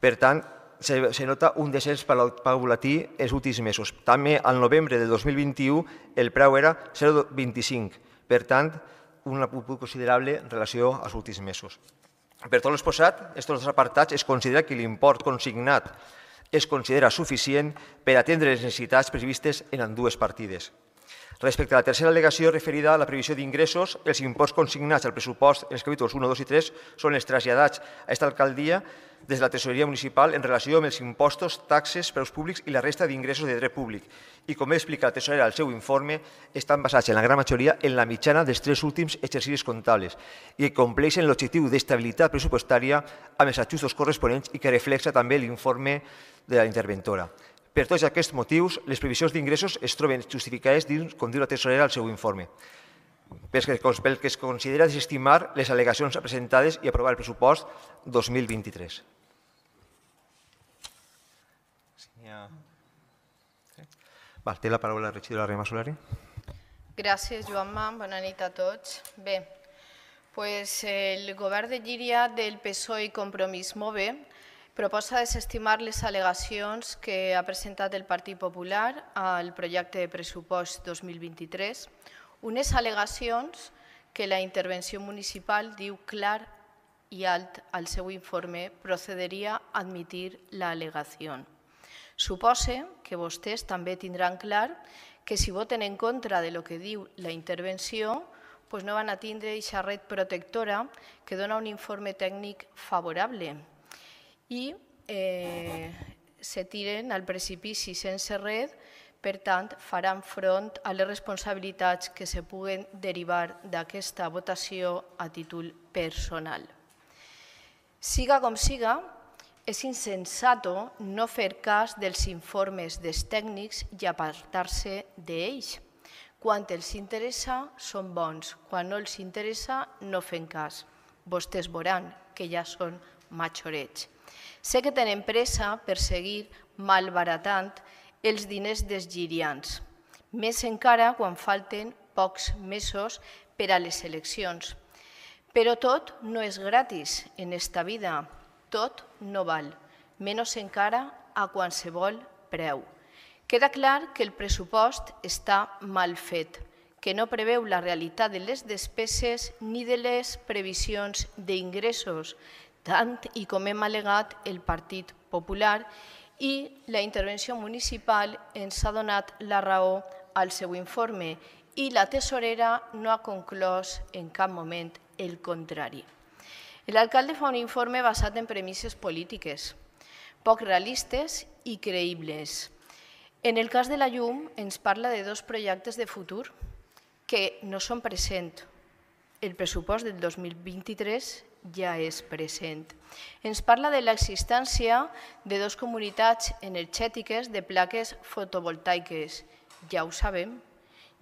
Per tant, se, se nota un descens paulatí els últims mesos. També al novembre de dos mil vint-i-u el preu era zero coma vint-i-cinc. Per tant, un punt considerable en relació als últims mesos. Per tot l'exposat, aquests dos apartats es considera que l'import consignat es considera suficient per atendre les necessitats previstes en ambdues partides. Respecte a la tercera al·legació referida a la previsió d'ingressos, els imports consignats al pressupost en els capítols u, dos i tres són els traslladats a aquesta alcaldia des de la Tresoreria Municipal en relació amb els impostos, taxes, preus públics i la resta d'ingressos de dret públic. I com explica la tesorera al seu informe, estan basats en la gran majoria en la mitjana dels tres últims exercicis comptables i compleixen l'objectiu d'estabilitat pressupostària amb els ajustos corresponents i que reflexa també l'informe de la interventora. Per tots aquests motius, les previsions d'ingressos es troben justificades dins, com diu la tesorera al seu informe, pel que es considera desestimar les al·legacions presentades i aprovar el pressupost dos mil vint-i-tres. Té la paraula la regidora Rema Solari. Gràcies, Joanma. Bona nit a tots. Bé, el govern de Llíria del P S O E i Compromís Move proposa desestimar les al·legacions que ha presentat el Partit Popular al projecte de pressupost dos mil vint-i-tres, unes al·legacions que la intervenció municipal diu clar i alt al seu informe procederia a admitir l'al·legació. Supose que vostès també tindran clar que si voten en contra de lo que diu la intervenció, no van a tindre aquesta red protectora que dona un informe tècnic favorable i se tiren al precipici sense red, per tant, faran front a les responsabilitats que se puguen derivar d'aquesta votació a títol personal. Siga com siga, és insensato no fer cas dels informes dels tècnics i apartar-se d'ells. Quan els interessa, són bons. Quan no els interessa, no fem cas. Vostès veuran que ja són majorets. Sé que tenen pressa per seguir malbaratant els diners dels llirians, més encara quan falten pocs mesos per a les eleccions. Però tot no és gratis en esta vida, tot no val, menys encara a qualsevol preu. Queda clar que el pressupost està mal fet, que no preveu la realitat de les despeses ni de les previsions d'ingressos, tant i com hem al·legat el Partit Popular, i la intervenció municipal ens ha donat la raó al seu informe i la tesorera no ha conclòs en cap moment el contrari. L'alcalde fa un informe basat en premisses polítiques, poc realistes i creïbles. En el cas de la llum ens parla de dos projectes de futur que no són presents. El pressupost del dos mil vint-i-tres ja és present. Ens parla de l'existència de dues comunitats energètiques de plaques fotovoltaiques. Ja ho sabem,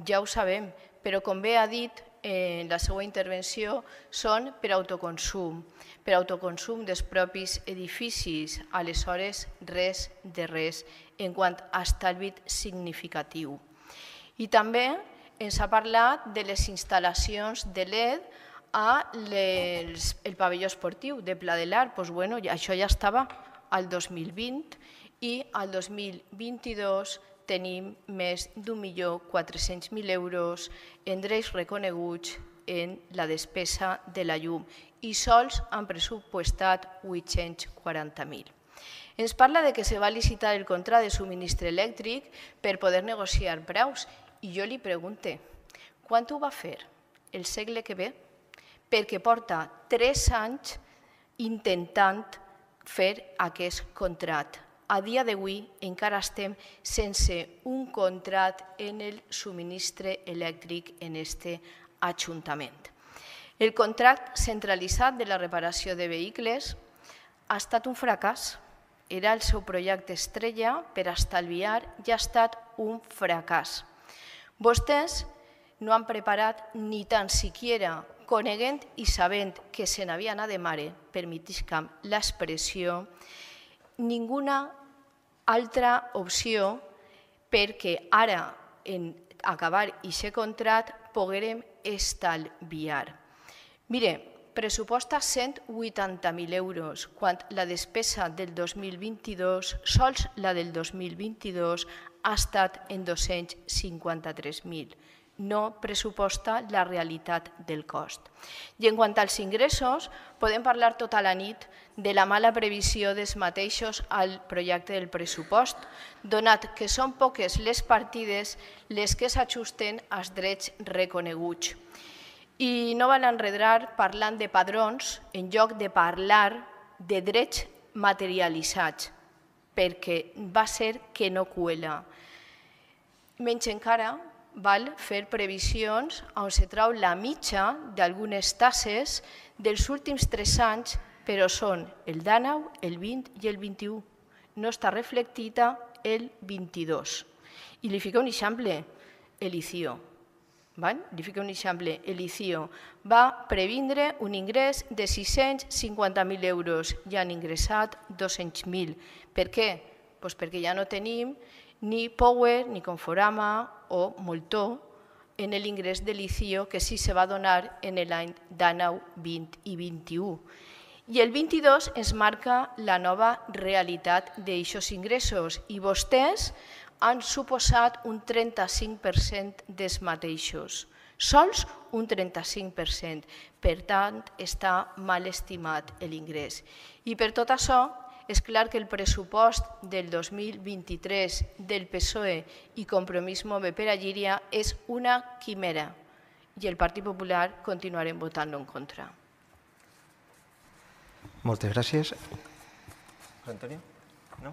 ja ho sabem, però com bé ha dit en la seva intervenció, són per autoconsum, per autoconsum dels propis edificis, aleshores res de res en quant a estalvi significatiu. I també ens ha parlat de les instal·lacions de L E D al pavelló esportiu de Pla de l'Art. Això ja estava al dos mil vint i al dos mil vint-i-dos tenim més d'un milió quatre-cents mil euros en drets reconeguts en la despesa de la llum i sols han pressupostat vuit-cents quaranta mil. Ens parla de que se va licitar el contracte de subministre elèctric per poder negociar preus i jo li pregunto, quan ho va fer? El segle que ve? Perquè porta tres anys intentant fer aquest contracte. A dia d'avui encara estem sense un contracte en el subministre elèctric en aquest ajuntament. El contracte centralitzat de la reparació de vehicles ha estat un fracàs. Era el seu projecte estrella per estalviar i ha estat un fracàs. Vostès no han preparat ni tan siquiera, coneguent i sabent que se n'havia anat de mare, permetisca'm l'expressió, ninguna altra opció perquè ara, en acabar aquest contracte, poguérem estalviar. Mire, pressuposta cent vuitanta mil euros, quan la despesa del dos mil vint-i-dos, sols la del dos mil vint-i-dos, ha estat en dos-cents cinquanta-tres mil. No pressuposta la realitat del cost. I en quant als ingressos, podem parlar tota la nit de la mala previsió dels mateixos al projecte del pressupost, donat que són poques les partides les que s'ajusten als drets reconeguts. I no van enredar parlant de padrons en lloc de parlar de drets materialitzats, perquè va ser que no cuela. Menys encara, val fer previsions on se trau la mitja d'algunes tasses dels últims tres anys, però són el dinou, el vint i el vint-i-u. No està reflectida el vint-i-dos. I li fico un exemple, el I C I O. Li fico un exemple, el I C I O va previndre un ingrés de sis-cents cinquanta mil euros i han ingressat dos-cents mil. Per què? Doncs perquè ja no tenim ni Power, ni Conforama o Moltó en l'ingrés de l'I C I O que sí se va donar en l'any dinou, vint i vint-i-u. I el vint-i-dos ens marca la nova realitat d'aixòs ingressos i vostès han suposat un trenta-cinc per cent dels mateixos. Sols un trenta-cinc per cent. Per tant, està mal estimat l'ingrés. I per tot això, és clar que el pressupost del dos mil vint-i-tres del P S O E i Compromís Move per a Llíria és una quimera i el Partit Popular continuarem votant-lo en contra. Moltes gràcies. Antonio? No?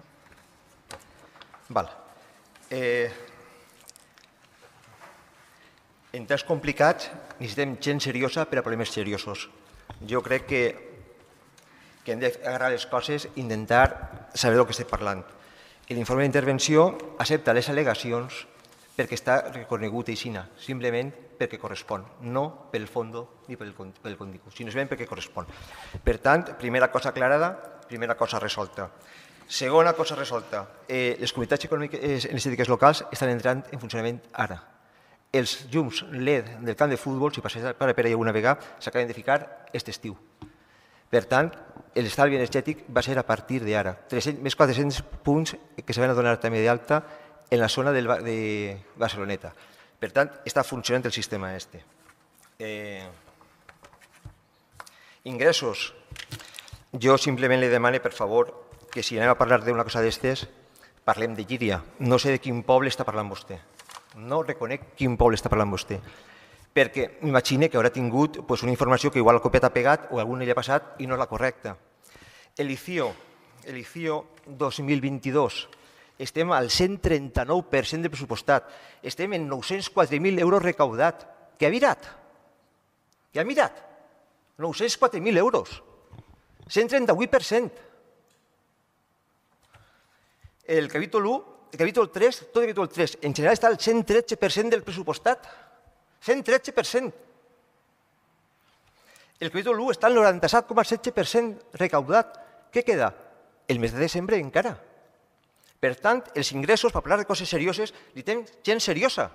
Val. Eh, en temps complicats necessitem gent seriosa per a problemes seriosos. Jo crec que que hem d'agarrar les coses i intentar saber del que estem parlant. L'informe d'intervenció accepta les al·legacions perquè està reconegut aixina, simplement perquè correspon, no pel fons ni pel contingut, sinó simplement perquè correspon. Per tant, primera cosa aclarada, primera cosa resolta. Segona cosa resolta, eh, les comunitats econòmiques energètiques locals estan entrant en funcionament ara. Els llums L E D del camp de futbol, si passés per allà alguna vegada, s'acaben de ficar aquest estiu. Per tant, l'estalvi energètic va ser a partir d'ara. Més quatre-cents punts que se van a donar també d'alta en la zona de Barceloneta. Per tant, està funcionant el sistema este. Eh, ingressos. Jo simplement li demano, per favor, que si anem a parlar d'una cosa d'estes, parlem de Llíria. No sé de quin poble està parlant vostè. No reconec quin poble està parlant vostè. Perquè m'imagino que haurà tingut una informació que igual el copiat ha pegat o algun li ha passat i no és la correcta. L'I C I O, l'I C I O dos mil vint-i-dos, estem al cent trenta-nou per cent del pressupostat, estem en nou-cents quatre mil euros recaudat. Què ha mirat? Què ha mirat? nou-cents quatre mil euros, cent trenta-vuit per cent. El capítol u, el capítol tres, tot el capítol tres, en general està al cent tretze per cent del pressupostat. cent tretze per cent. El capítol u està al noranta-set coma setze per cent recaudat. Què queda? El mes de desembre encara. Per tant, els ingressos, per parlar de coses serioses, li tenen gent seriosa.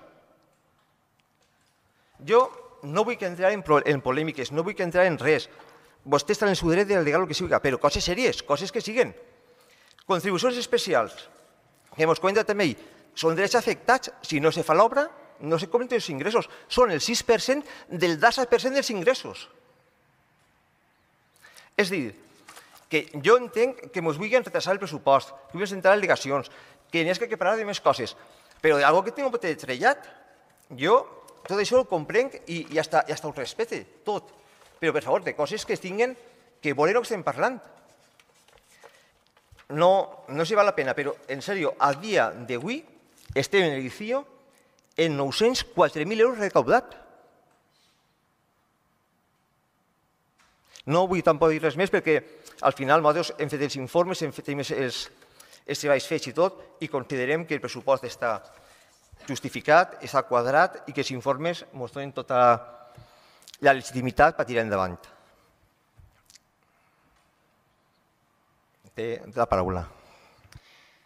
Jo no vull entrar en polèmiques, no vull entrar en res. Vostè està en el seu dret d'al·legar el que sigui, però coses serioses, coses que siguen. Contribucions especials, que ens comenta també, són drets afectats si no se fa l'obra, no se compten els ingressos, són el sis per cent del disset per cent dels ingressos. És a dir, que jo entenc que ens vulguin retrasar el pressupost, que vulguin entrar al·legacions, que n'hi ha que parlar de més coses, però d'algú que tinc un pot trellat, jo tot això ho comprenc i ja ho respecte, tot. Però, per favor, de coses que tinguen, que volen el que estem parlant. No s'hi val la pena, però, en sèrio, a dia d'avui estem en l'I C I O en nou-cents quatre mil euros recaudat. No vull tampoc dir res més perquè al final nosaltres hem fet els informes, hem fet els, els treballs fets i tot i considerem que el pressupost està justificat, està quadrat i que els informes ens donen tota la legitimitat per tirar endavant. Té la paraula.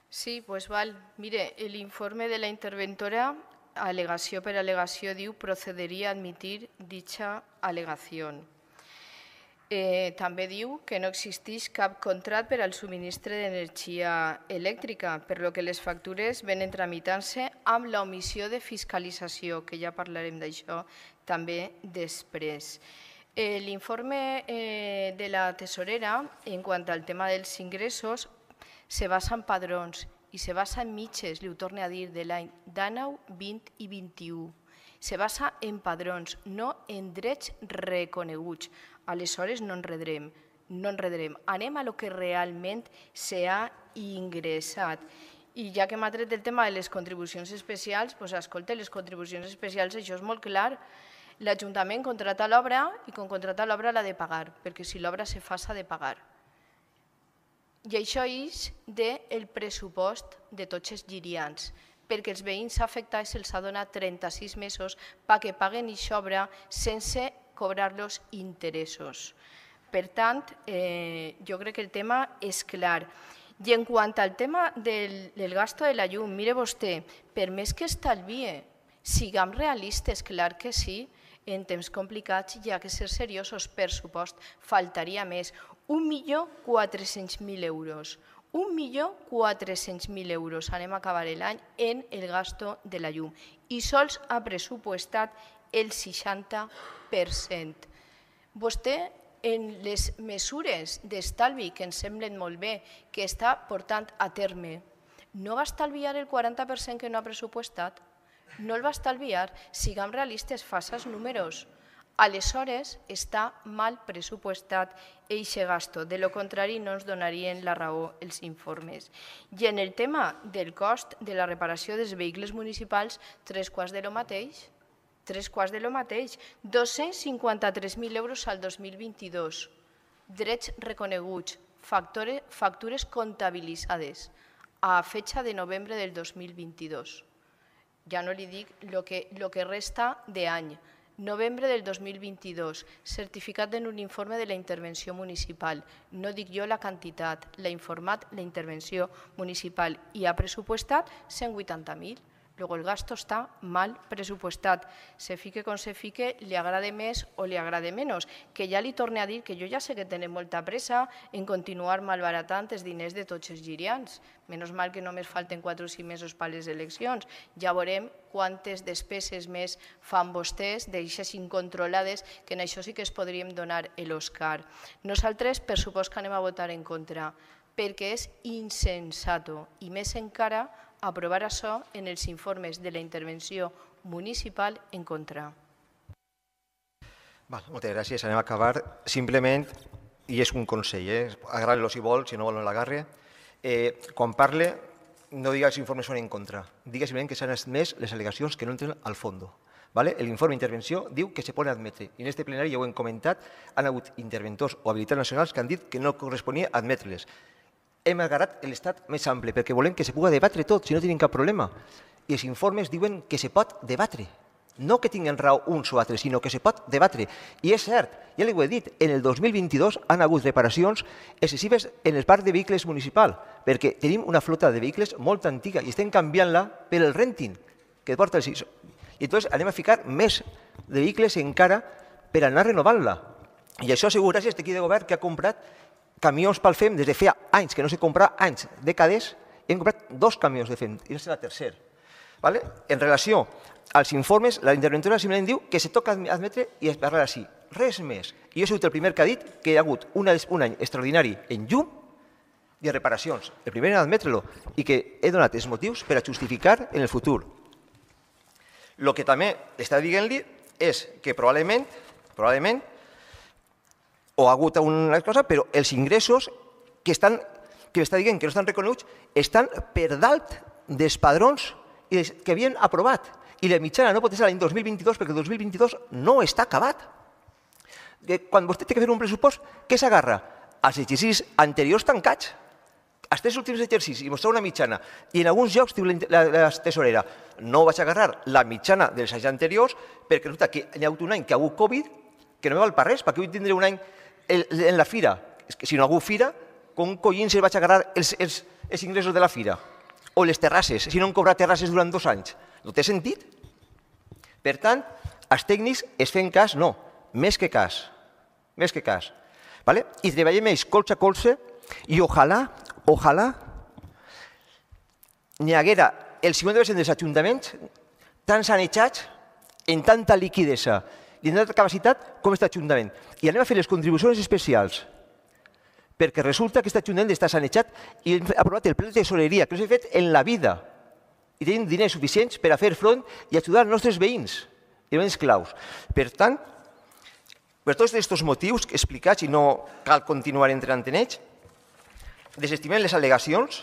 Sí, pues val. Mire, l'informe de la interventora, al·legació per al·legació, diu procederia a admitir dicha al·legació. Eh, també diu que no existeix cap contracte per al subministre d'energia elèctrica, per lo que les factures venen tramitant-se amb l'omissió de fiscalització, que ja parlarem d'això també després. Eh, L'informe eh, de la tesorera, en quant al tema dels ingressos, se basa en padrons i se basa en mitges, li ho torno a dir, de l'any dinou, vint i vint-i-u. Se basa en padrons, no en drets reconeguts. Aleshores no enredrem, no enredrem. Anem a lo que realment s'ha ingressat. I ja que m'ha tret el tema de les contribucions especials, doncs escolta, les contribucions especials, això és molt clar. L'Ajuntament contrata l'obra i quan contrata l'obra l'ha de pagar, perquè si l'obra se fa s'ha de pagar. I això és del pressupost de tots els girians, perquè els veïns afectats se'ls ha donat trenta-sis mesos perquè paguen aquesta obra sense cobrar-los interessos. Per tant, eh, jo crec que el tema és clar. I en quant al tema del, del gasto de la llum, mire vostè, per més que estalvie, siguem realistes, clar que sí, en temps complicats hi ha que ser seriosos, per supost, faltaria més. un milió quatre-cents mil euros. un milió quatre-cents mil euros anem a acabar l'any en el gasto de la llum. I sols ha pressupostat el seixanta per cent. Vostè, en les mesures d'estalvi que ens semblen molt bé, que està portant a terme, no va estalviar el quaranta per cent que no ha pressupostat? No el va estalviar? Siguem realistes, faça els números. Aleshores està mal pressupostat eixe gasto. De lo contrari, no ens donarien la raó els informes. I en el tema del cost de la reparació dels vehicles municipals, tres quarts de lo mateix. Tres quarts de lo mateix. dos-cents cinquanta-tres mil euros al dos mil vint-i-dos. Drets reconeguts, factures comptabilitzades a fecha de novembre del dos mil vint-i-dos. Ja no li dic el que, lo que resta d'any. Novembre del dos mil vint-i-dos, certificat en un informe de la intervenció municipal. No dic jo la quantitat, l'ha informat la intervenció municipal i ha pressupostat cent vuitanta mil. Luego el gasto está mal presupuestat. Se fique com se fique, li agrade més o li agrade menys. Que ja li torne a dir que jo ja sé que tenen molta pressa en continuar malbaratant els diners de tots els girians. Menys mal que només falten quatre o cinc mesos per a les eleccions. Ja veurem quantes despeses més fan vostès d'eixes incontrolades, que en això sí que es podríem donar l'Òscar. Nosaltres, per supost que anem a votar en contra, perquè és insensato i més encara aprovar això en els informes de la intervenció municipal en contra. Val, moltes gràcies. Anem a acabar. Simplement, i és un consell, eh? agradi-lo si vol, si no vol no l'agarre. Eh, quan parle, no diga que els informes són en contra. Diga simplement que s'han admès les al·legacions que no entren al fons. ¿Vale? L'informe d'intervenció diu que se poden admetre. I en aquest plenari ja ho hem comentat, han hagut interventors o habilitats nacionals que han dit que no corresponia admetre-les. Hem agarrat l'estat més ample, perquè volem que se pugui debatre tot, si no tenim cap problema. I els informes diuen que se pot debatre. No que tinguin raó uns o altres, sinó que se pot debatre. I és cert, ja li ho he dit, en el dos mil vint-i-dos han hagut reparacions excessives en el parc de vehicles municipal, perquè tenim una flota de vehicles molt antiga i estem canviant-la per el renting, que porta el... I llavors anem a ficar més de vehicles encara per anar renovant-la. I això ha sigut gràcies a l'equip de govern que ha comprat camions pel F E M des de feia anys, que no se comprava anys, dècades, hem comprat dos camions de F E M, i no serà el tercer. En relació als informes, la interventora simplement diu que se toca admetre i es parla així. Res més. I jo he sigut el primer que ha dit que hi ha hagut un any extraordinari en llum i en reparacions. El primer en admetre-lo i que he donat els motius per a justificar en el futur. El que també està dient-li és que probablement, probablement, o ha hagut una cosa, però els ingressos que estan, que està dient que no estan reconeguts estan per dalt dels padrons que havien aprovat. I la mitjana no pot ser l'any dos mil vint-i-dos perquè el dos mil vint-i-dos no està acabat. Quan vostè té que fer un pressupost, què s'agarra? Els exercicis anteriors tancats. Els tres últims exercicis, i mostrar una mitjana. I en alguns llocs diu la tesorera, no vaig agarrar la mitjana dels anys anteriors perquè resulta que hi ha hagut un any que ha hagut Covid que no me val per res, perquè vull tindre un any en la fira. Si no ha hagut fira, com collins vaig agarrar els ingressos de la fira? O les terrasses, si no han cobrat terrasses durant dos anys. No té sentit? Per tant, els tècnics es fem cas, no, més que cas. Més que cas. I treballem ells colze a colze i ojalà Ojalà n'hi haguera el cinquanta per cent dels ajuntaments tan sanejats, en tanta liquidesa i en tanta capacitat com aquest ajuntament. I anem a fer les contribucions especials perquè resulta que aquest ajuntament està sanejat i hem aprovat el pla de tesoreria, que no s'ha fet en la vida. I tenim diners suficients per a fer front i ajudar els nostres veïns, i veïns claus. Per tant, per tots aquests motius explicats, i no cal continuar entrant en ells, desestimem les al·legacions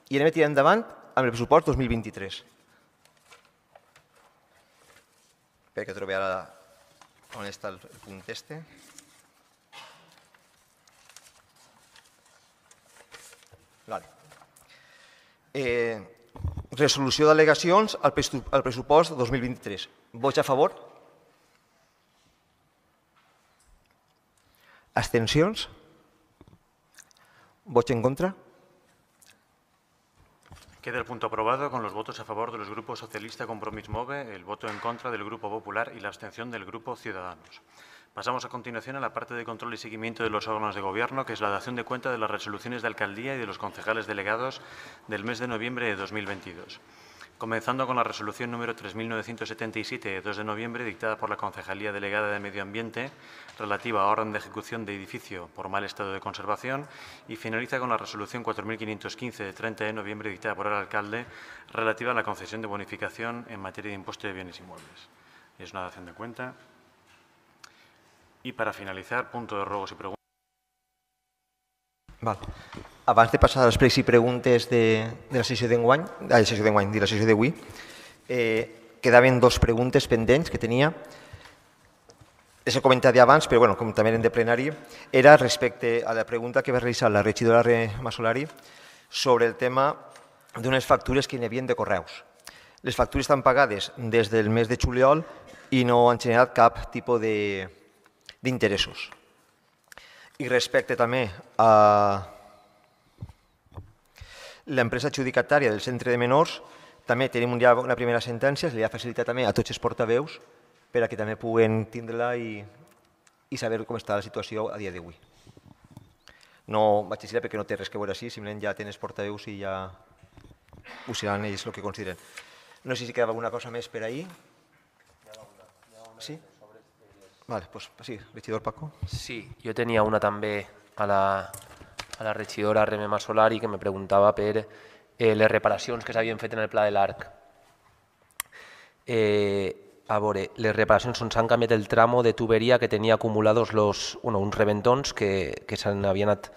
i anem a tirar endavant amb el pressupost dos mil vint-i-tres. Espera que trobi ara on està el punt este. Resolució d'al·legacions al pressupost dos mil vint-i-tres. Vots a favor? Abstencions? ¿Votos en contra? Queda el punto aprobado con los votos a favor de los grupos Socialista, Compromís Move, el voto en contra del Grupo Popular y la abstención del Grupo Ciudadanos. Pasamos a continuación a la parte de control y seguimiento de los órganos de gobierno, que es la dación de cuenta de las resoluciones de alcaldía y de los concejales delegados del mes de noviembre de dos mil veintidós. Comenzando con la resolución número tres mil novecientos setenta y siete de dos de noviembre, dictada por la Concejalía Delegada de Medio Ambiente, relativa a orden de ejecución de edificio por mal estado de conservación, y finaliza con la resolución cuatro mil quinientos quince de treinta de noviembre, dictada por el alcalde, relativa a la concesión de bonificación en materia de impuesto de bienes inmuebles. Es una dación de cuenta. Y para finalizar, punto de ruegos y preguntas. Val. Abans de passar a les pregs i preguntes de, de la sessió d'enguany, de la sessió d'enguany, de la sessió d'avui, eh, quedaven dues preguntes pendents que tenia. Les he comentat abans, però bueno, com també eren de plenari, era respecte a la pregunta que va realitzar la regidora Masolari sobre el tema d'unes factures que hi havia de correus. Les factures estan pagades des del mes de juliol i no han generat cap tipus d'interessos. I respecte també a l'empresa adjudicatària del centre de menors, també tenim ja una primera sentència, se li ha facilitat també a tots els portaveus per a que també puguen tindre-la i, i saber com està la situació a dia d'avui. No vaig dir perquè no té res que veure així, simplement ja tenen els portaveus i ja ho seran ells el que consideren. No sé si quedava alguna cosa més per ahir. Sí? Vale, pues sí, regidor Paco. Sí, jo tenia una també a la, a la regidora Reme Masolari que me preguntava per eh, les reparacions que s'havien fet en el Pla de l'Arc. Eh, a veure, les reparacions on s'han canviat el tramo de tuberia que tenia acumulados los, bueno, uns reventons que, que s'han havien anat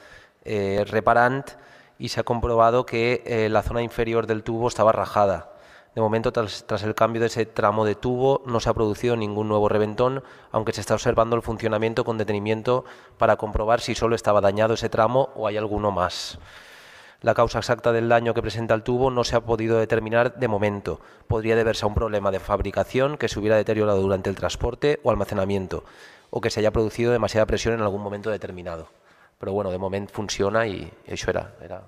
eh, reparant y se ha comprobado que eh, la zona inferior del tubo estaba rajada. De momento, tras, tras el cambio de ese tramo de tubo, no se ha producido ningún nuevo reventón, aunque se está observando el funcionamiento con detenimiento para comprobar si solo estaba dañado ese tramo o hay alguno más. La causa exacta del daño que presenta el tubo no se ha podido determinar de momento. Podría deberse a un problema de fabricación que se hubiera deteriorado durante el transporte o almacenamiento, o que se haya producido demasiada presión en algún momento determinado. Però bueno, de moment funciona i això era. era...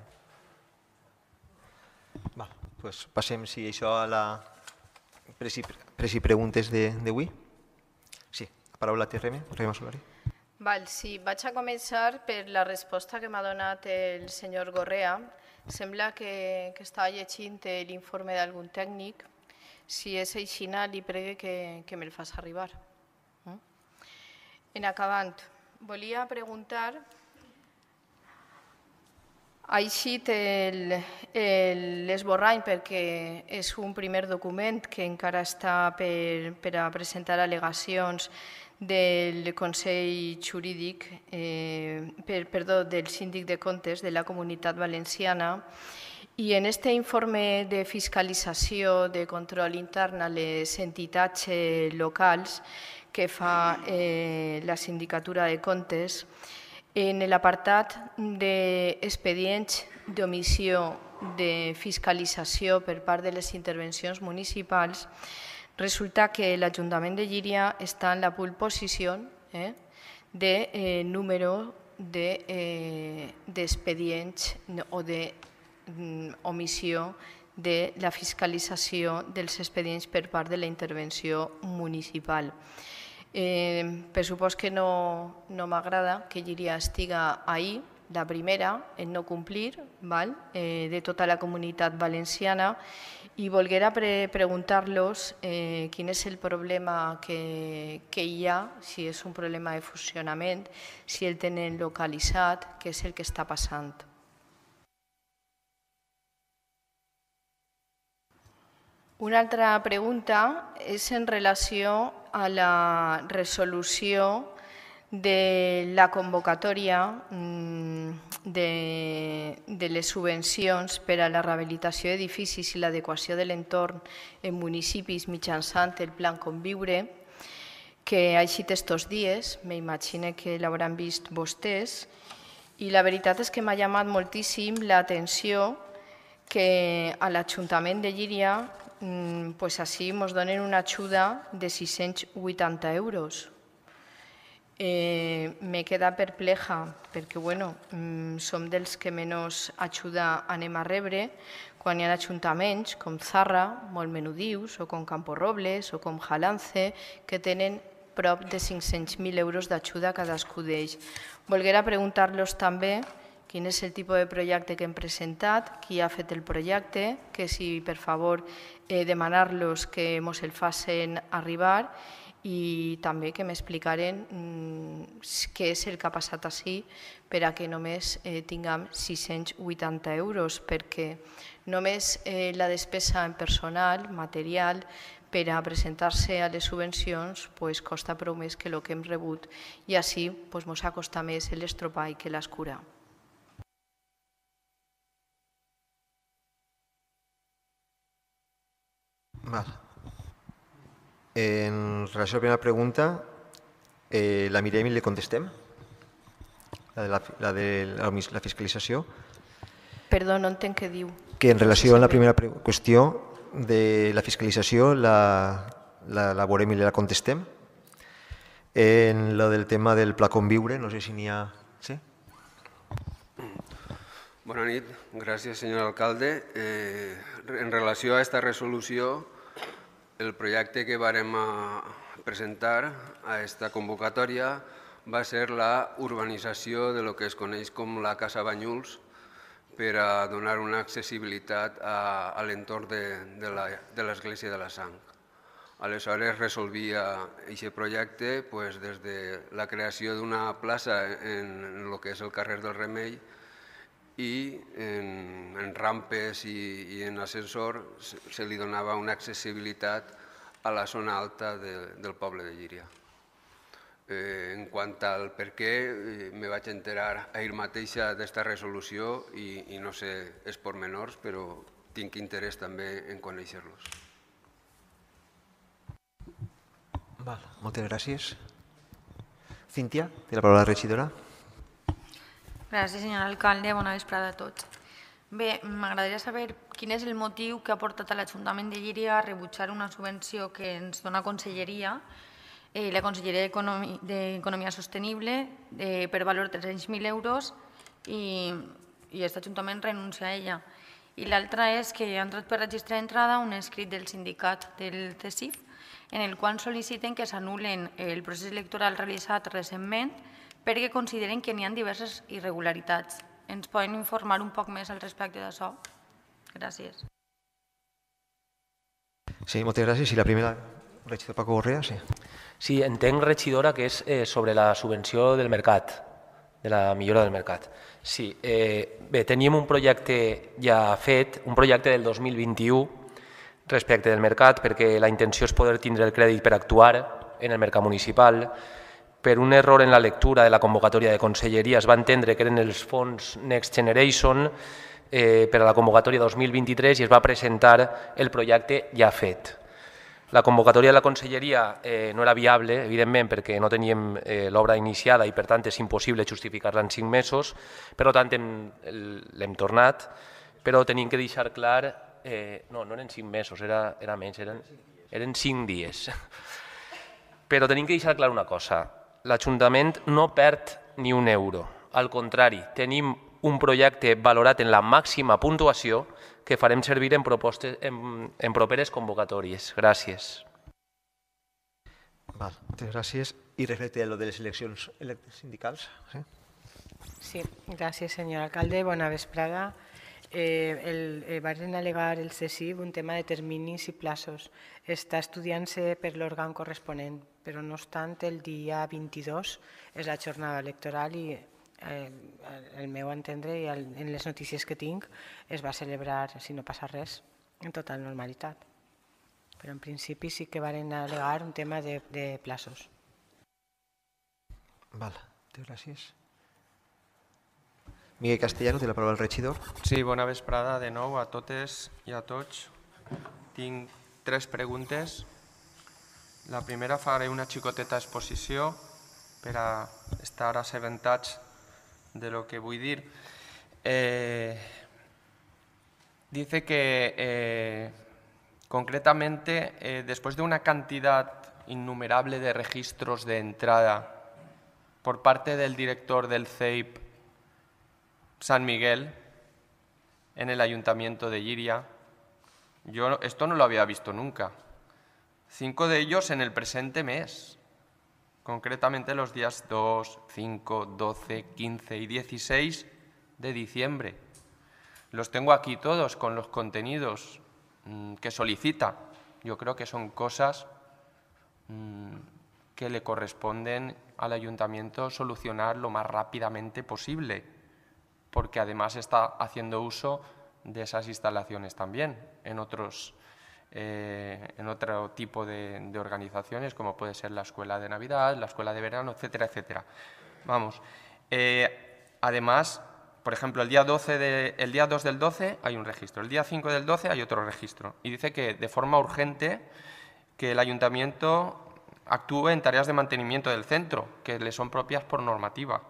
Va, doncs passem, si això, a la pres i, pres i preguntes d'avui. Sí, la paraula té Reme, Reme Masolari. Val, sí, vaig a començar per la resposta que m'ha donat el senyor Gorrea. Sembla que, que estava llegint l'informe d'algun tècnic. Si és així, li pregue que, que me'l fas arribar. En acabant, volia preguntar... Ha eixit l'esborrany perquè és un primer document que encara està per, per a presentar al·legacions del Consell Jurídic, eh, per, perdó, del Síndic de Comptes de la Comunitat Valenciana I en aquest informe de fiscalització de control intern a les entitats locals que fa eh, la Sindicatura de Comptes, en l'apartat d'expedients d'omissió de fiscalització per part de les intervencions municipals, resulta que l'Ajuntament de Llíria està en la pole position eh, de eh, número d'expedients de, eh, o d'omissió de la fiscalització dels expedients per part de la intervenció municipal. Eh, per supost que no, no m'agrada que Llíria estiga ahí, la primera en no complir, val? Eh, de tota la comunitat valenciana, i volguera pre preguntar-los eh, quin és el problema que, que hi ha, si és un problema de funcionament, si el tenen localitzat, què és el que està passant. Una altra pregunta és en relació a la resolució de la convocatòria de, de les subvencions per a la rehabilitació d'edificis i l'adequació de l'entorn en municipis mitjançant el Plan Conviure, que ha eixit estos dies, m'imagino que l'hauran vist vostès, i la veritat és que m'ha llamat moltíssim l'atenció que a l'Ajuntament de Llíria pues així ens donen una ajuda de sis-cents vuitanta euros. Eh, me queda perpleja perquè bueno, som dels que menys ajuda anem a rebre quan hi ha ajuntaments com Zarra, molt menudius, o com Camporrobles, o com Jalance, que tenen prop de cinc-cents mil euros d'ajuda cadascú d'ells. Volguera preguntar-los també quin és el tipus de projecte que hem presentat, qui ha fet el projecte, que si per favor eh, demanar-los que ens el facin arribar, i també que m'explicaren què és el que ha passat així per a que només tinguem sis-cents vuitanta euros, perquè només la despesa en personal, material, per a presentar-se a les subvencions costa prou més que el que hem rebut i així ens ha costat més l'estropall que l'escura. Val. En relació a la primera pregunta, eh, la mirem i li contestem? La de la, la, de la, la fiscalització? Perdó, no entenc què diu. Que en relació a la primera qüestió de la fiscalització la, la, la veurem i la contestem. En lo del tema del Pla Conviure, no sé si n'hi ha... Sí? Bona nit, gràcies senyor alcalde. Eh, en relació a aquesta resolució, el projecte que vàrem presentar a aquesta convocatòria va ser la urbanització de lo que es coneix com la Casa Banyuls per a donar una accessibilitat a, a l'entorn de, de l'Església de la Sang. Aleshores resolvia aquest projecte pues, des de la creació d'una plaça en el que és el carrer del Remei i en, en rampes i, i en ascensor se, se li donava una accessibilitat a la zona alta de, del poble de Llíria. Eh, en quant al per què, eh, me vaig enterar ahir mateixa d'esta resolució i, i no sé els pormenors, però tinc interès també en conèixer-los. Val, moltes gràcies. Cíntia, té la paraula la regidora. Gràcies, senyor alcalde. Bona vesprada a tots. Bé, m'agradaria saber quin és el motiu que ha portat a l'Ajuntament de Llíria a rebutjar una subvenció que ens dona Conselleria, eh, la Conselleria d'Economia Sostenible, eh, per valor de tres-cents mil euros i, i aquest Ajuntament renuncia a ella. I l'altra és que ha entrat per registrar d'entrada un escrit del sindicat del C E S I F en el qual sol·liciten que s'anul·len el procés electoral realitzat recentment perquè consideren que n'hi ha diverses irregularitats. Ens poden informar un poc més al respecte d'això? Gràcies. Sí, moltes gràcies. I la primera, regidor Paco Gorrea, sí. Sí, entenc, regidora, que és eh, sobre la subvenció del mercat, de la millora del mercat. Sí, eh, bé, teníem un projecte ja fet, un projecte del dos mil vint-i-u respecte del mercat, perquè la intenció és poder tindre el crèdit per actuar en el mercat municipal. Per un error en la lectura de la convocatòria de Conselleria es va entendre que eren els fons Next Generation, per a la convocatòria dos mil vint-i-tres i es va presentar el projecte ja fet. La convocatòria de la conselleria no era viable, evidentment, perquè no teníem l'obra iniciada i, per tant, és impossible justificar-la en cinc mesos. Per tant, l'hem tornat, però tenim que deixar clar... No, no eren cinc mesos, era menys, eren cinc dies. Però tenim que deixar clar una cosa. L'Ajuntament no perd ni un euro. Al contrari, tenim un projecte valorat en la màxima puntuació que farem servir en properes convocatòries. Gràcies. Moltes gràcies. I respecte a lo de les eleccions sindicals? Sí, gràcies, senyor alcalde. Bona vesprada. Van al·legar el C S I B un tema de terminis i plaços. Està estudiant-se per l'òrgan corresponent, però no obstant el dia vint-i-dos és la jornada electoral i el meu entendre i en les notícies que tinc es va celebrar, si no passa res, en total normalitat. Però en principi sí que van al·legar un tema de plaços. Val, gràcies. Miguel Castellano, té la paraula el regidor. Sí, bona vesprada de nou a totes i a tots. Tinc tres preguntes. La primera faré una xicoteta exposició per a estar assabentats de lo que vull dir. Dice que concretamente después de una cantidad innumerable de registros de entrada por parte del director del C E I P San Miguel en el Ayuntamiento de Llíria. Yo esto no lo había visto nunca. Cinco de ellos en el presente mes, concretamente los días dos, cinco, doce, quince y dieciséis de diciembre. Los tengo aquí todos con los contenidos que solicita. Yo creo que son cosas que le corresponden al Ayuntamiento solucionar lo más rápidamente posible, porque además está haciendo uso de esas instalaciones también en, otros, eh, en otro tipo de, de organizaciones, como puede ser la escuela de Navidad, la escuela de verano, etcétera, etcétera. Vamos. Eh, además, por ejemplo, el día, doce de, el día dos del doce hay un registro, el día cinco del doce hay otro registro. Y dice que de forma urgente que el Ayuntamiento actúe en tareas de mantenimiento del centro, que le son propias por normativa.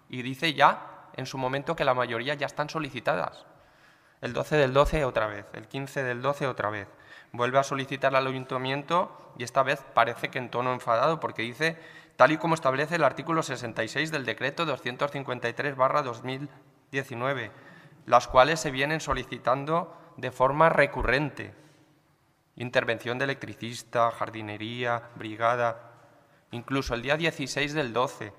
Y dice ya en su momento que la mayoría ya están solicitadas. El doce del doce otra vez, el quince del doce otra vez. Vuelve a solicitar al Ayuntamiento y esta vez parece que en tono enfadado porque dice, tal y como establece el artículo sesenta y seis del decreto doscientos cincuenta y tres barra dos mil diecinueve, las cuales se vienen solicitando de forma recurrente. Intervención de electricista, jardinería, brigada, incluso el día dieciséis del doce.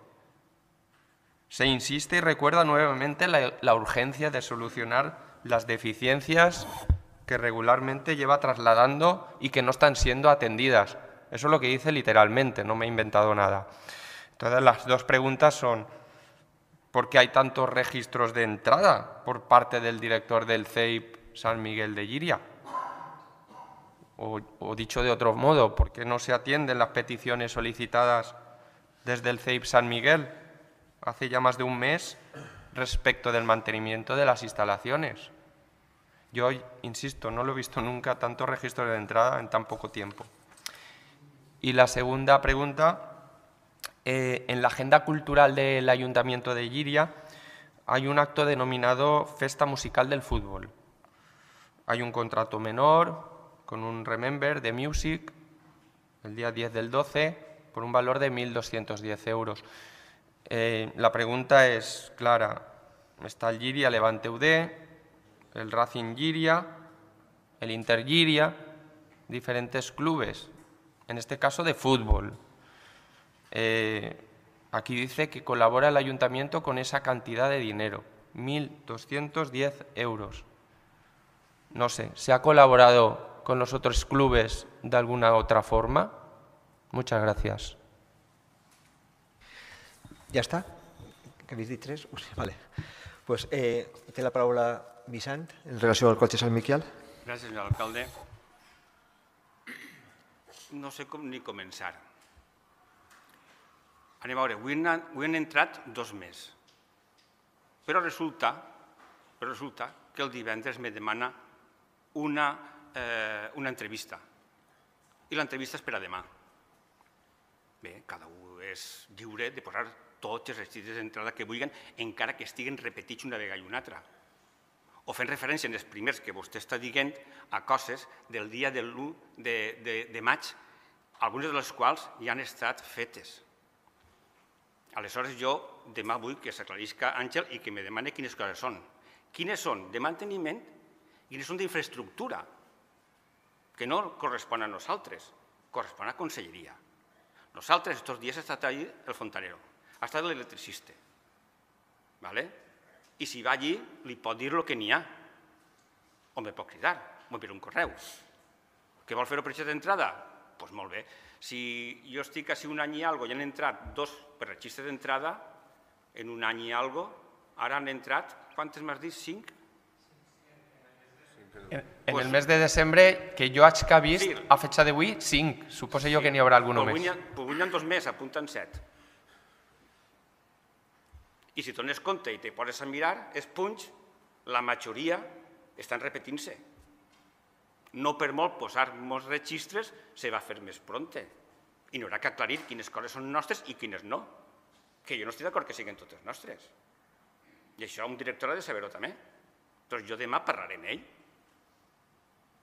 Se insiste y recuerda nuevamente la, la urgencia de solucionar las deficiencias que regularmente lleva trasladando y que no están siendo atendidas. Eso es lo que dice literalmente, no me he inventado nada. Entonces, las dos preguntas son, ¿por qué hay tantos registros de entrada por parte del director del C E I P San Miguel de Llíria? O, o dicho de otro modo, ¿por qué no se atienden las peticiones solicitadas desde el C E I P San Miguel hace ya más de un mes respecto del mantenimiento de las instalaciones? Yo, insisto, no lo he visto nunca, tantos registros de entrada en tan poco tiempo. Y la segunda pregunta, eh, en la agenda cultural del Ayuntamiento de Llíria hay un acto denominado Festa Musical del Fútbol. Hay un contrato menor con un Remember de Music el día diez del doce por un valor de mil doscientos diez euros. Eh, la pregunta es clara. Está el Llíria Levante U D, el Racing Llíria, el Inter Llíria, diferentes clubes, en este caso de fútbol. Eh, aquí dice que colabora el Ayuntamiento con esa cantidad de dinero, mil doscientos diez euros. No sé, ¿se ha colaborado con los otros clubes de alguna otra forma? Muchas gracias. Ja està? Que habéis dit tres? Vale. Pues, eh, té la paraula Vicent en relació al cotxe Sant Miquel. Gràcies, senyor alcalde. No sé com ni començar. Anem a veure, avui han entrat dos més. Però resulta, però resulta que el divendres me demana una, eh, una entrevista. I l'entrevista és per a demà. Bé, cada un és lliure de posar tots els requisits d'entrada que vulguin, encara que estiguen repetits una vegada i una altra. O fent referència en els primers que vostè està dient a coses del dia de l'u de maig, algunes de les quals ja han estat fetes. Aleshores, jo demà vull que s'aclarisca Àngel i que me demani quines coses són. Quines són de manteniment i quines són d'infraestructura, que no correspon a nosaltres, correspon a Conselleria. Nosaltres, aquests dies, ha estat allí el fontanero, ha estat l'electricista. I si va allí, li pot dir el que n'hi ha. O me pot cridar, o m'enviar un correu. Que vol fer-ho per registre d'entrada? Doncs molt bé. Si jo estic així un any i alguna cosa i han entrat dos per registre d'entrada, en un any i alguna cosa, ara han entrat, quantes m'has dit? Cinc? En el mes de desembre, que jo haig que ha vist, a fecha d'avui, cinc. Suposo jo que n'hi haurà algun més. Pues avui n'hi ha dos més, apunten set. I si dones compte i te poses a mirar, els punts, la majoria estan repetint-se. No per molt posar molts registres, se va fer més pronte. I n'haurà que aclarir quines coses són nostres i quines no. Que jo no estic d'acord que siguin totes nostres. I això un director ha de saber-ho també. Doncs jo demà parlaré amb ell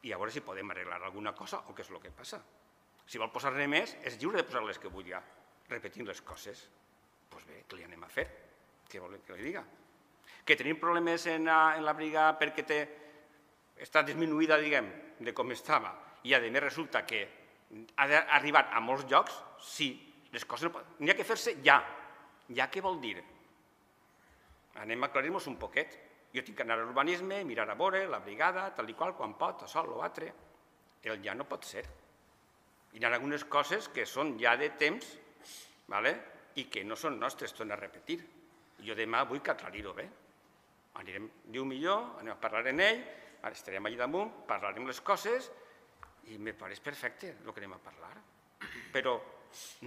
i a veure si podem arreglar alguna cosa o què és el que passa. Si vol posar-ne més, és lliure de posar-les que vulgui, repetint les coses. Doncs bé, què li anem a fer? Què vol que li diga? Que tenim problemes en la brigada perquè està disminuïda, diguem, de com estava, i a més resulta que ha d'arribar a molts llocs, sí, les coses n'hi ha que fer-se ja. Ja què vol dir? Anem a aclarir-nos un poquet. Jo tinc que anar a l'urbanisme, mirar a veure, la brigada, tal i qual, quan pot, això, l'altre. El ja no pot ser. Hi ha algunes coses que són ja de temps i que no són nostres, torno a repetir. Jo demà vull que aclarir-ho bé. Anirem, diu millor, anem a parlar amb ell, estarem allà damunt, parlarem les coses i me pareix perfecte el que anem a parlar. Però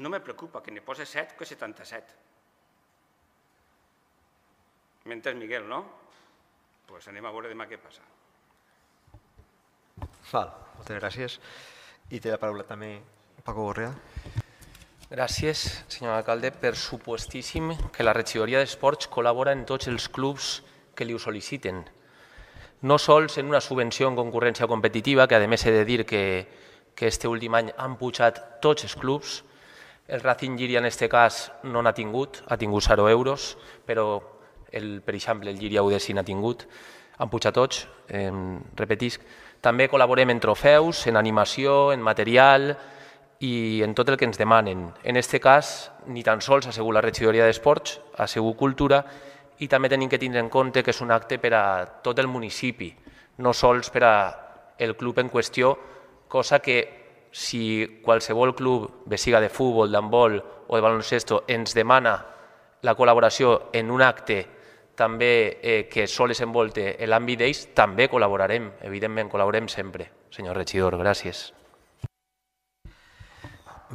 no me preocupa que ne posi set que setanta-set. M'he entès, Miguel, no? Doncs anem a veure demà què passa. Val, moltes gràcies. I té la paraula també Paco Gorrea. Gràcies, senyor alcalde. Per supuestíssim que la regidoria d'Esports col·labora en tots els clubs que li ho sol·liciten. No sols en una subvenció en concurrència competitiva, que a més he de dir que aquest últim any han pujat tots els clubs. El Racing Llíria en aquest cas no n'ha tingut, ha tingut zero euros, però per exemple el Llíria U D sí n'ha tingut, han pujat tots, repetisc. També col·laborem en trofeus, en animació, en material i en tot el que ens demanen. En aquest cas, ni tan sols ha sigut la regidoria d'Esports, ha sigut Cultura, i també tenim que tindre en compte que és un acte per a tot el municipi, no sols per al club en qüestió, cosa que si qualsevol club, bé siga de futbol, d'handbol o de baloncesto, ens demana la col·laboració en un acte també que sol desenvolupar l'àmbit d'ells, també col·laborarem, evidentment, col·laborem sempre. Senyor regidor, gràcies.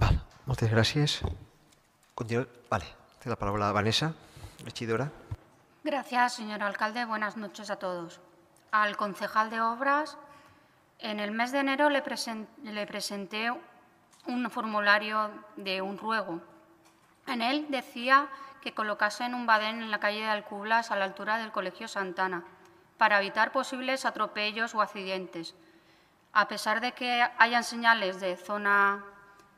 Val, moltes gràcies. Continua. Vale, té la palabra Vanessa, regidora. Gracias, señor alcalde. Buenas noches a todos. Al concejal de Obras, en el mes de enero le, present, le presenté un formulario de un ruego. En él decía que colocasen un badén en la calle de Alcublas a la altura del Colegio Santana para evitar posibles atropellos o accidentes. A pesar de que hayan señales de zona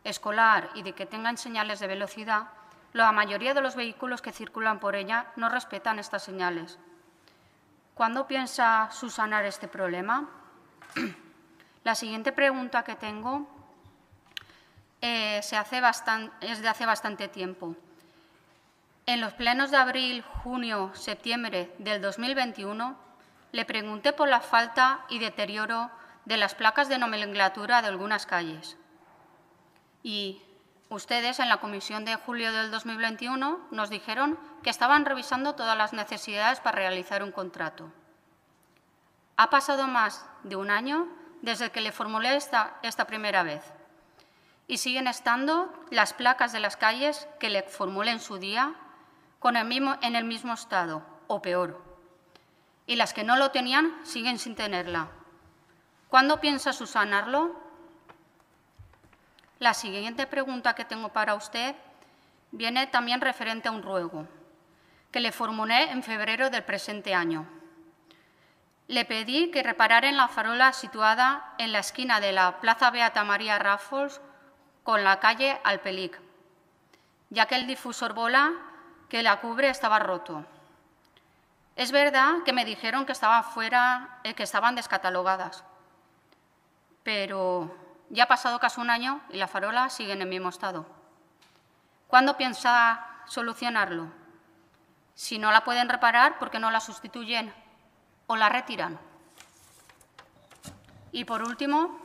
escolar y de que tengan señales de velocidad, la mayoría de los vehículos que circulan por ella no respetan estas señales. ¿Cuándo piensa subsanar este problema? La siguiente pregunta que tengo eh, se hace bastan- es de hace bastante tiempo. En los plenos de abril, junio, septiembre del dos mil veintiuno, le pregunté por la falta y deterioro de las placas de nomenclatura de algunas calles. Y ustedes, en la comisión de julio del dos mil veintiuno, nos dijeron que estaban revisando todas las necesidades para realizar un contrato. Ha pasado más de un año desde que le formulé esta, esta primera vez y siguen estando las placas de las calles que le formulé en su día con el mismo, en el mismo estado o peor. y las que no lo tenían siguen sin tenerla. ¿Cuándo piensa subsanarlo? La siguiente pregunta que tengo para usted viene también referente a un ruego que le formulé en febrero del presente año. Le pedí que reparara en la farola situada en la esquina de la Plaza Beata María Rafols con la calle Alpelic, ya que el difusor bola que la cubre estaba roto. Es verdad que me dijeron que, estaba fuera, eh, que estaban descatalogadas, pero ya ha pasado casi un año y la farola sigue en el mismo estado. ¿Cuándo piensa solucionarlo? Si no la pueden reparar, ¿por qué no la sustituyen o la retiran? Y por último,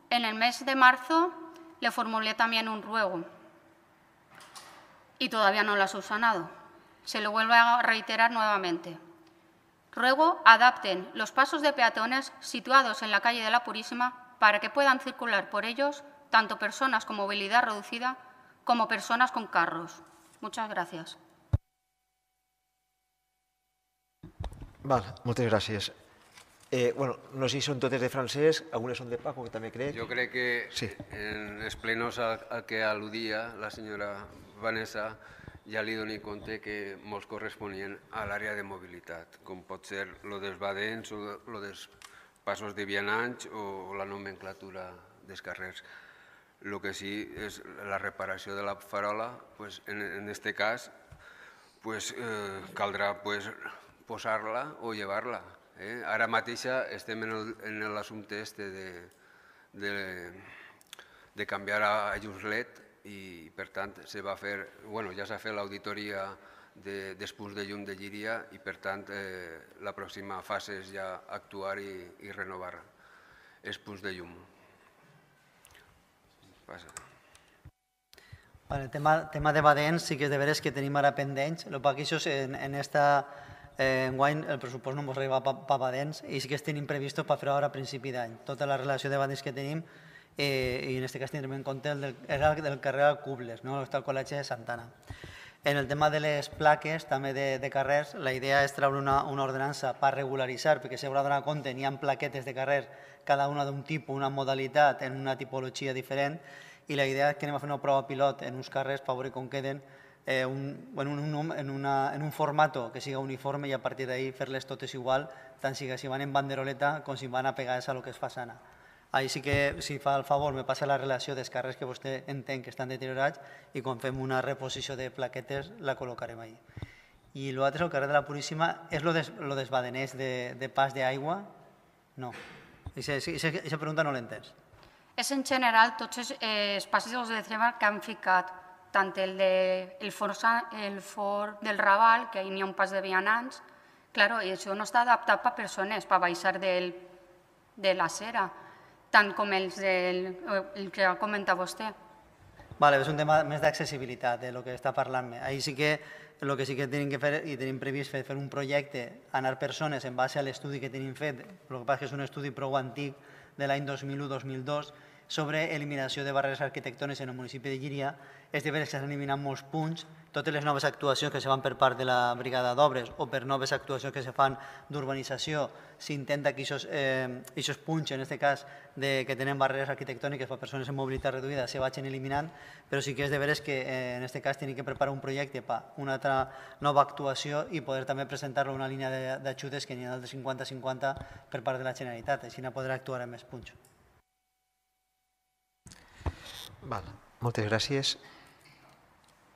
en el mes de marzo le formulé también un ruego y todavía no lo ha subsanado. Se lo vuelvo a reiterar nuevamente. Ruego adapten los pasos de peatones situados en la calle de la Purísima para que puedan circular por ellos tanto personas con movilidad reducida como personas con carros. Muchas gracias. Vale, moltes gràcies. Eh, bueno, no sé si són totes de Francesc, algunes són de Paco, que també crec. Jo crec que sí. En els plenos al, al que al·ludia la senyora Vanessa ja li doni compte que molts corresponien a l'àrea de mobilitat, com pot ser lo dels badens o lo dels passos de vianants o la nomenclatura dels carrers. El que sí és la reparació de la farola, pues, en aquest cas pues, eh, caldrà pues, posar-la o llevar-la. Eh? Ara mateixa estem en l'assumpte este de, de, de canviar a llums L E D i, per tant, se va fer, bueno, ja s'ha fet l'auditoria de, dels punts de llum de Llíria i, per tant, eh, la pròxima fase és ja actuar i, i renovar els punts de llum. Passa. El tema, tema de badens sí que és de veres que tenim ara pendents, el que això en, en esta Eh, enguany el pressupost no ens arriba per badens i sí que tenim previst per fer-ho ara a principi d'any. Tota la relació de badens que tenim eh, i en aquest cas tindrem en compte el del, el del carrer Alcubles, no? Està al Col·legi de Santana. En el tema de les plaques també de, de carrers, la idea és treure una, una ordenança per regularitzar, perquè s'haurà de donar compte, n'hi ha plaquetes de carrers, cada una d'un tipus, una modalitat, en una tipologia diferent, i la idea és que anem a fer una prova pilot en uns carrers per veure com queden Eh, un, en, un, en, una, en un formato que siga uniforme i a partir d'ahí fer-les totes igual, tant si, si van en banderoleta com si van apegades a lo que és façana. Ahí sí que, si fa el favor, me passa la relació dels carrers que vostè entén que estan deteriorats i quan fem una reposició de plaquetes la col·locarem ahí. I l'altre, el carrer de la Puríssima, és lo des, lo dels badeners de, de pas d'aigua? No. Aquesta pregunta no l'entens. És en general tots els eh, passos de treva que han ficat tant el, de, el, for, el for del Raval, que hi ha un pas de vianants, claro, i això no està adaptat per persones, per baixar del, de la cera, tant com els del, el que ha comentat vostè. Vale, és un tema més d'accessibilitat, de lo que està parlant-me. Ahí sí que el que sí que tenim que fer, i tenim previst fer, fer un projecte, anar persones en base a l'estudi que tenim fet, el que passa que és un estudi prou antic, de l'any dos mil u dos mil dos, sobre eliminació de barreres arquitectòniques en el municipi de Llíria. És de veres que s'han eliminat molts punts, totes les noves actuacions que se fan per part de la brigada d'obres o per noves actuacions que se fan d'urbanització, s'intenta que aquests eh, punts, en aquest cas de, que tenen barreres arquitectòniques per a persones amb mobilitat reduïda, se vagin eliminant, però sí que és de veres que eh, en aquest cas tenim que preparar un projecte per una altra nova actuació i poder també presentar-lo una línia d'ajudes que n'hi ha de cinquanta a cinquanta per part de la Generalitat, així no podrà actuar en més punts. Val, moltes gràcies.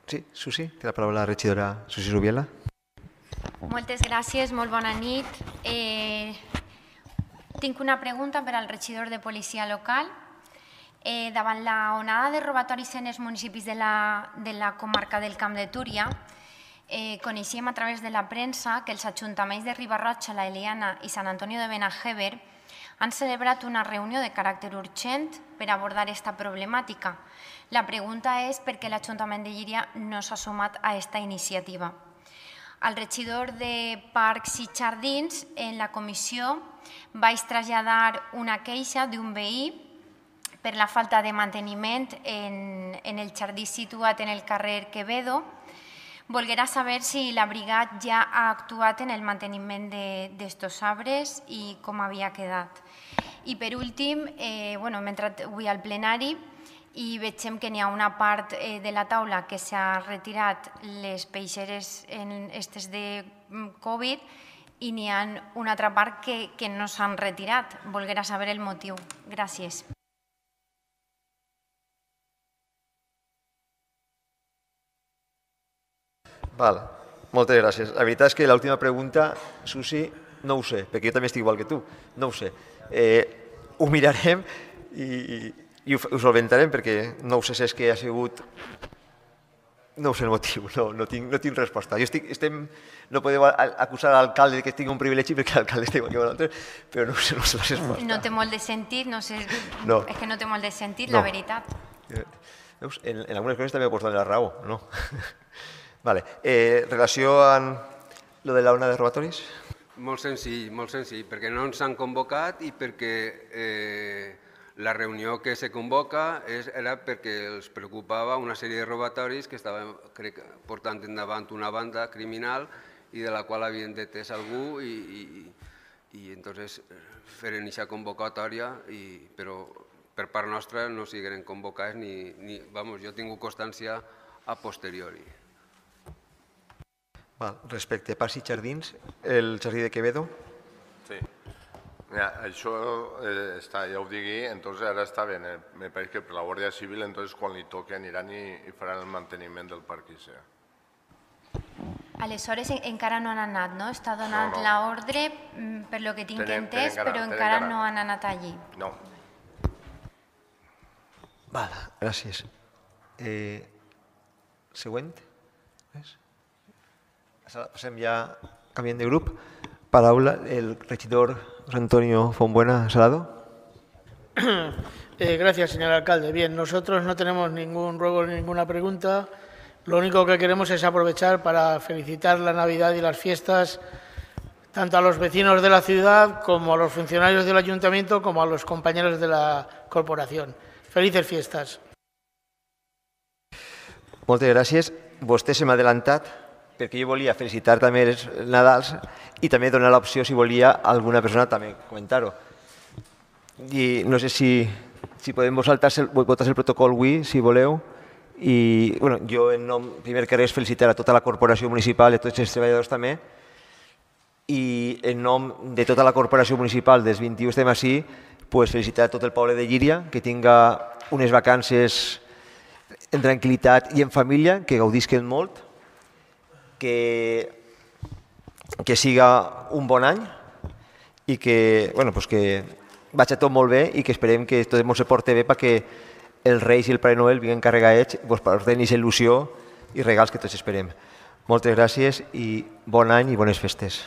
Sí, Susi, té la paraula la regidora Susi Rubiela. Moltes gràcies, molt bona nit. Eh, tinc una pregunta per al regidor de Policia Local. Eh, davant la onada de robatoris en els municipis de la, de la comarca del Camp de Túria, eh, coneixíem a través de la premsa que els ajuntaments de Riba-roja, la Eliana i Sant Antonio de Benajever han celebrat una reunió de caràcter urgent per abordar aquesta problemàtica. La pregunta és per què l'Ajuntament de Llíria no s'ha sumat a aquesta iniciativa. Al regidor de Parcs i Jardins, en la comissió, vaig traslladar una queixa d'un veí per la falta de manteniment en, en el jardí situat en el carrer Quevedo. Volguera saber si la brigada ja ha actuat en el manteniment d'estos arbres i com havia quedat. I per últim, eh, bueno, hem entrat avui al plenari i veiem que n'hi ha una part eh, de la taula que s'ha retirat les peixeres en estes de Covid i n'hi ha una altra part que, que no s'han retirat. Volguera saber el motiu. Gràcies. Val, moltes gràcies. La veritat és que l'última pregunta, Susi, no ho sé, perquè jo també estic igual que tu, no ho sé. Eh, ho mirarem i, i, i ho, ho solventarem perquè no ho sé si és que ha sigut... No ho sé el motiu, no, no, tinc, no tinc resposta. Jo estic, estem, no podeu acusar l'alcalde que tinc un privilegi perquè l'alcalde està igual que vosaltres, però no sé, no sé la resposta. No té molt de sentit, no sé, no. És que no té molt de sentit, no. La veritat. Veus? En, en algunes coses també ho pots donar la raó, no? Vale. Eh, relació amb lo de la ona de robatoris? Molt senzill, molt senzill, perquè no ens han convocat i perquè eh, la reunió que se convoca és, era perquè els preocupava una sèrie de robatoris que estaven crec, portant endavant una banda criminal i de la qual havien detès algú i, i, i entonces feren aquesta convocatòria, i, però per part nostra no sigueren convocats ni, ni vamos, jo he tingut constància a posteriori. Val. Respecte a Parcs i Jardins, el jardí de Quevedo? Sí. Mira, això eh, està, ja ho digui, entonces ara està bé, eh? Me pareix que per la Guàrdia Civil entonces quan li toqui aniran i, i faran el manteniment del parc i sea. Aleshores encara no han anat, no? Està donant no, no. l'ordre, per lo que tinc Tenen, entès, tenen però tenen encara cara. no han anat allí. No. Val, gràcies. Eh, següent. Res? Passem ja, canviant de grup. Paraula, el regidor José Antonio Fonbuena Salado. Eh, gracias, señor alcalde. Bien, nosotros no tenemos ningún ruego ni ninguna pregunta. Lo único que queremos es aprovechar para felicitar la Navidad y las fiestas tanto a los vecinos de la ciudad como a los funcionarios del ayuntamiento como a los compañeros de la corporación. Felices fiestas. Moltes gràcies. Vostè se m'ha adelantat perquè jo volia felicitar també els Nadals i també donar l'opció, si volia, a alguna persona també comentar-ho. I no sé si, si podem vosaltres votar el protocol avui, si voleu. I bueno, jo, en nom, primer que res, felicitar a tota la corporació municipal i a tots els treballadors també. I en nom de tota la corporació municipal, dels vint-i-u estem així, pues, felicitar a tot el poble de Llíria, que tinga unes vacances en tranquil·litat i en família, que gaudisquen molt, que, que siga un bon any i que, bueno, pues que vagi tot molt bé i que esperem que tot se porti bé perquè els Reis i el Pare Noel vinguin carregats pues, per tenir aquesta il·lusió i regals que tots esperem. Moltes gràcies i bon any i bones festes.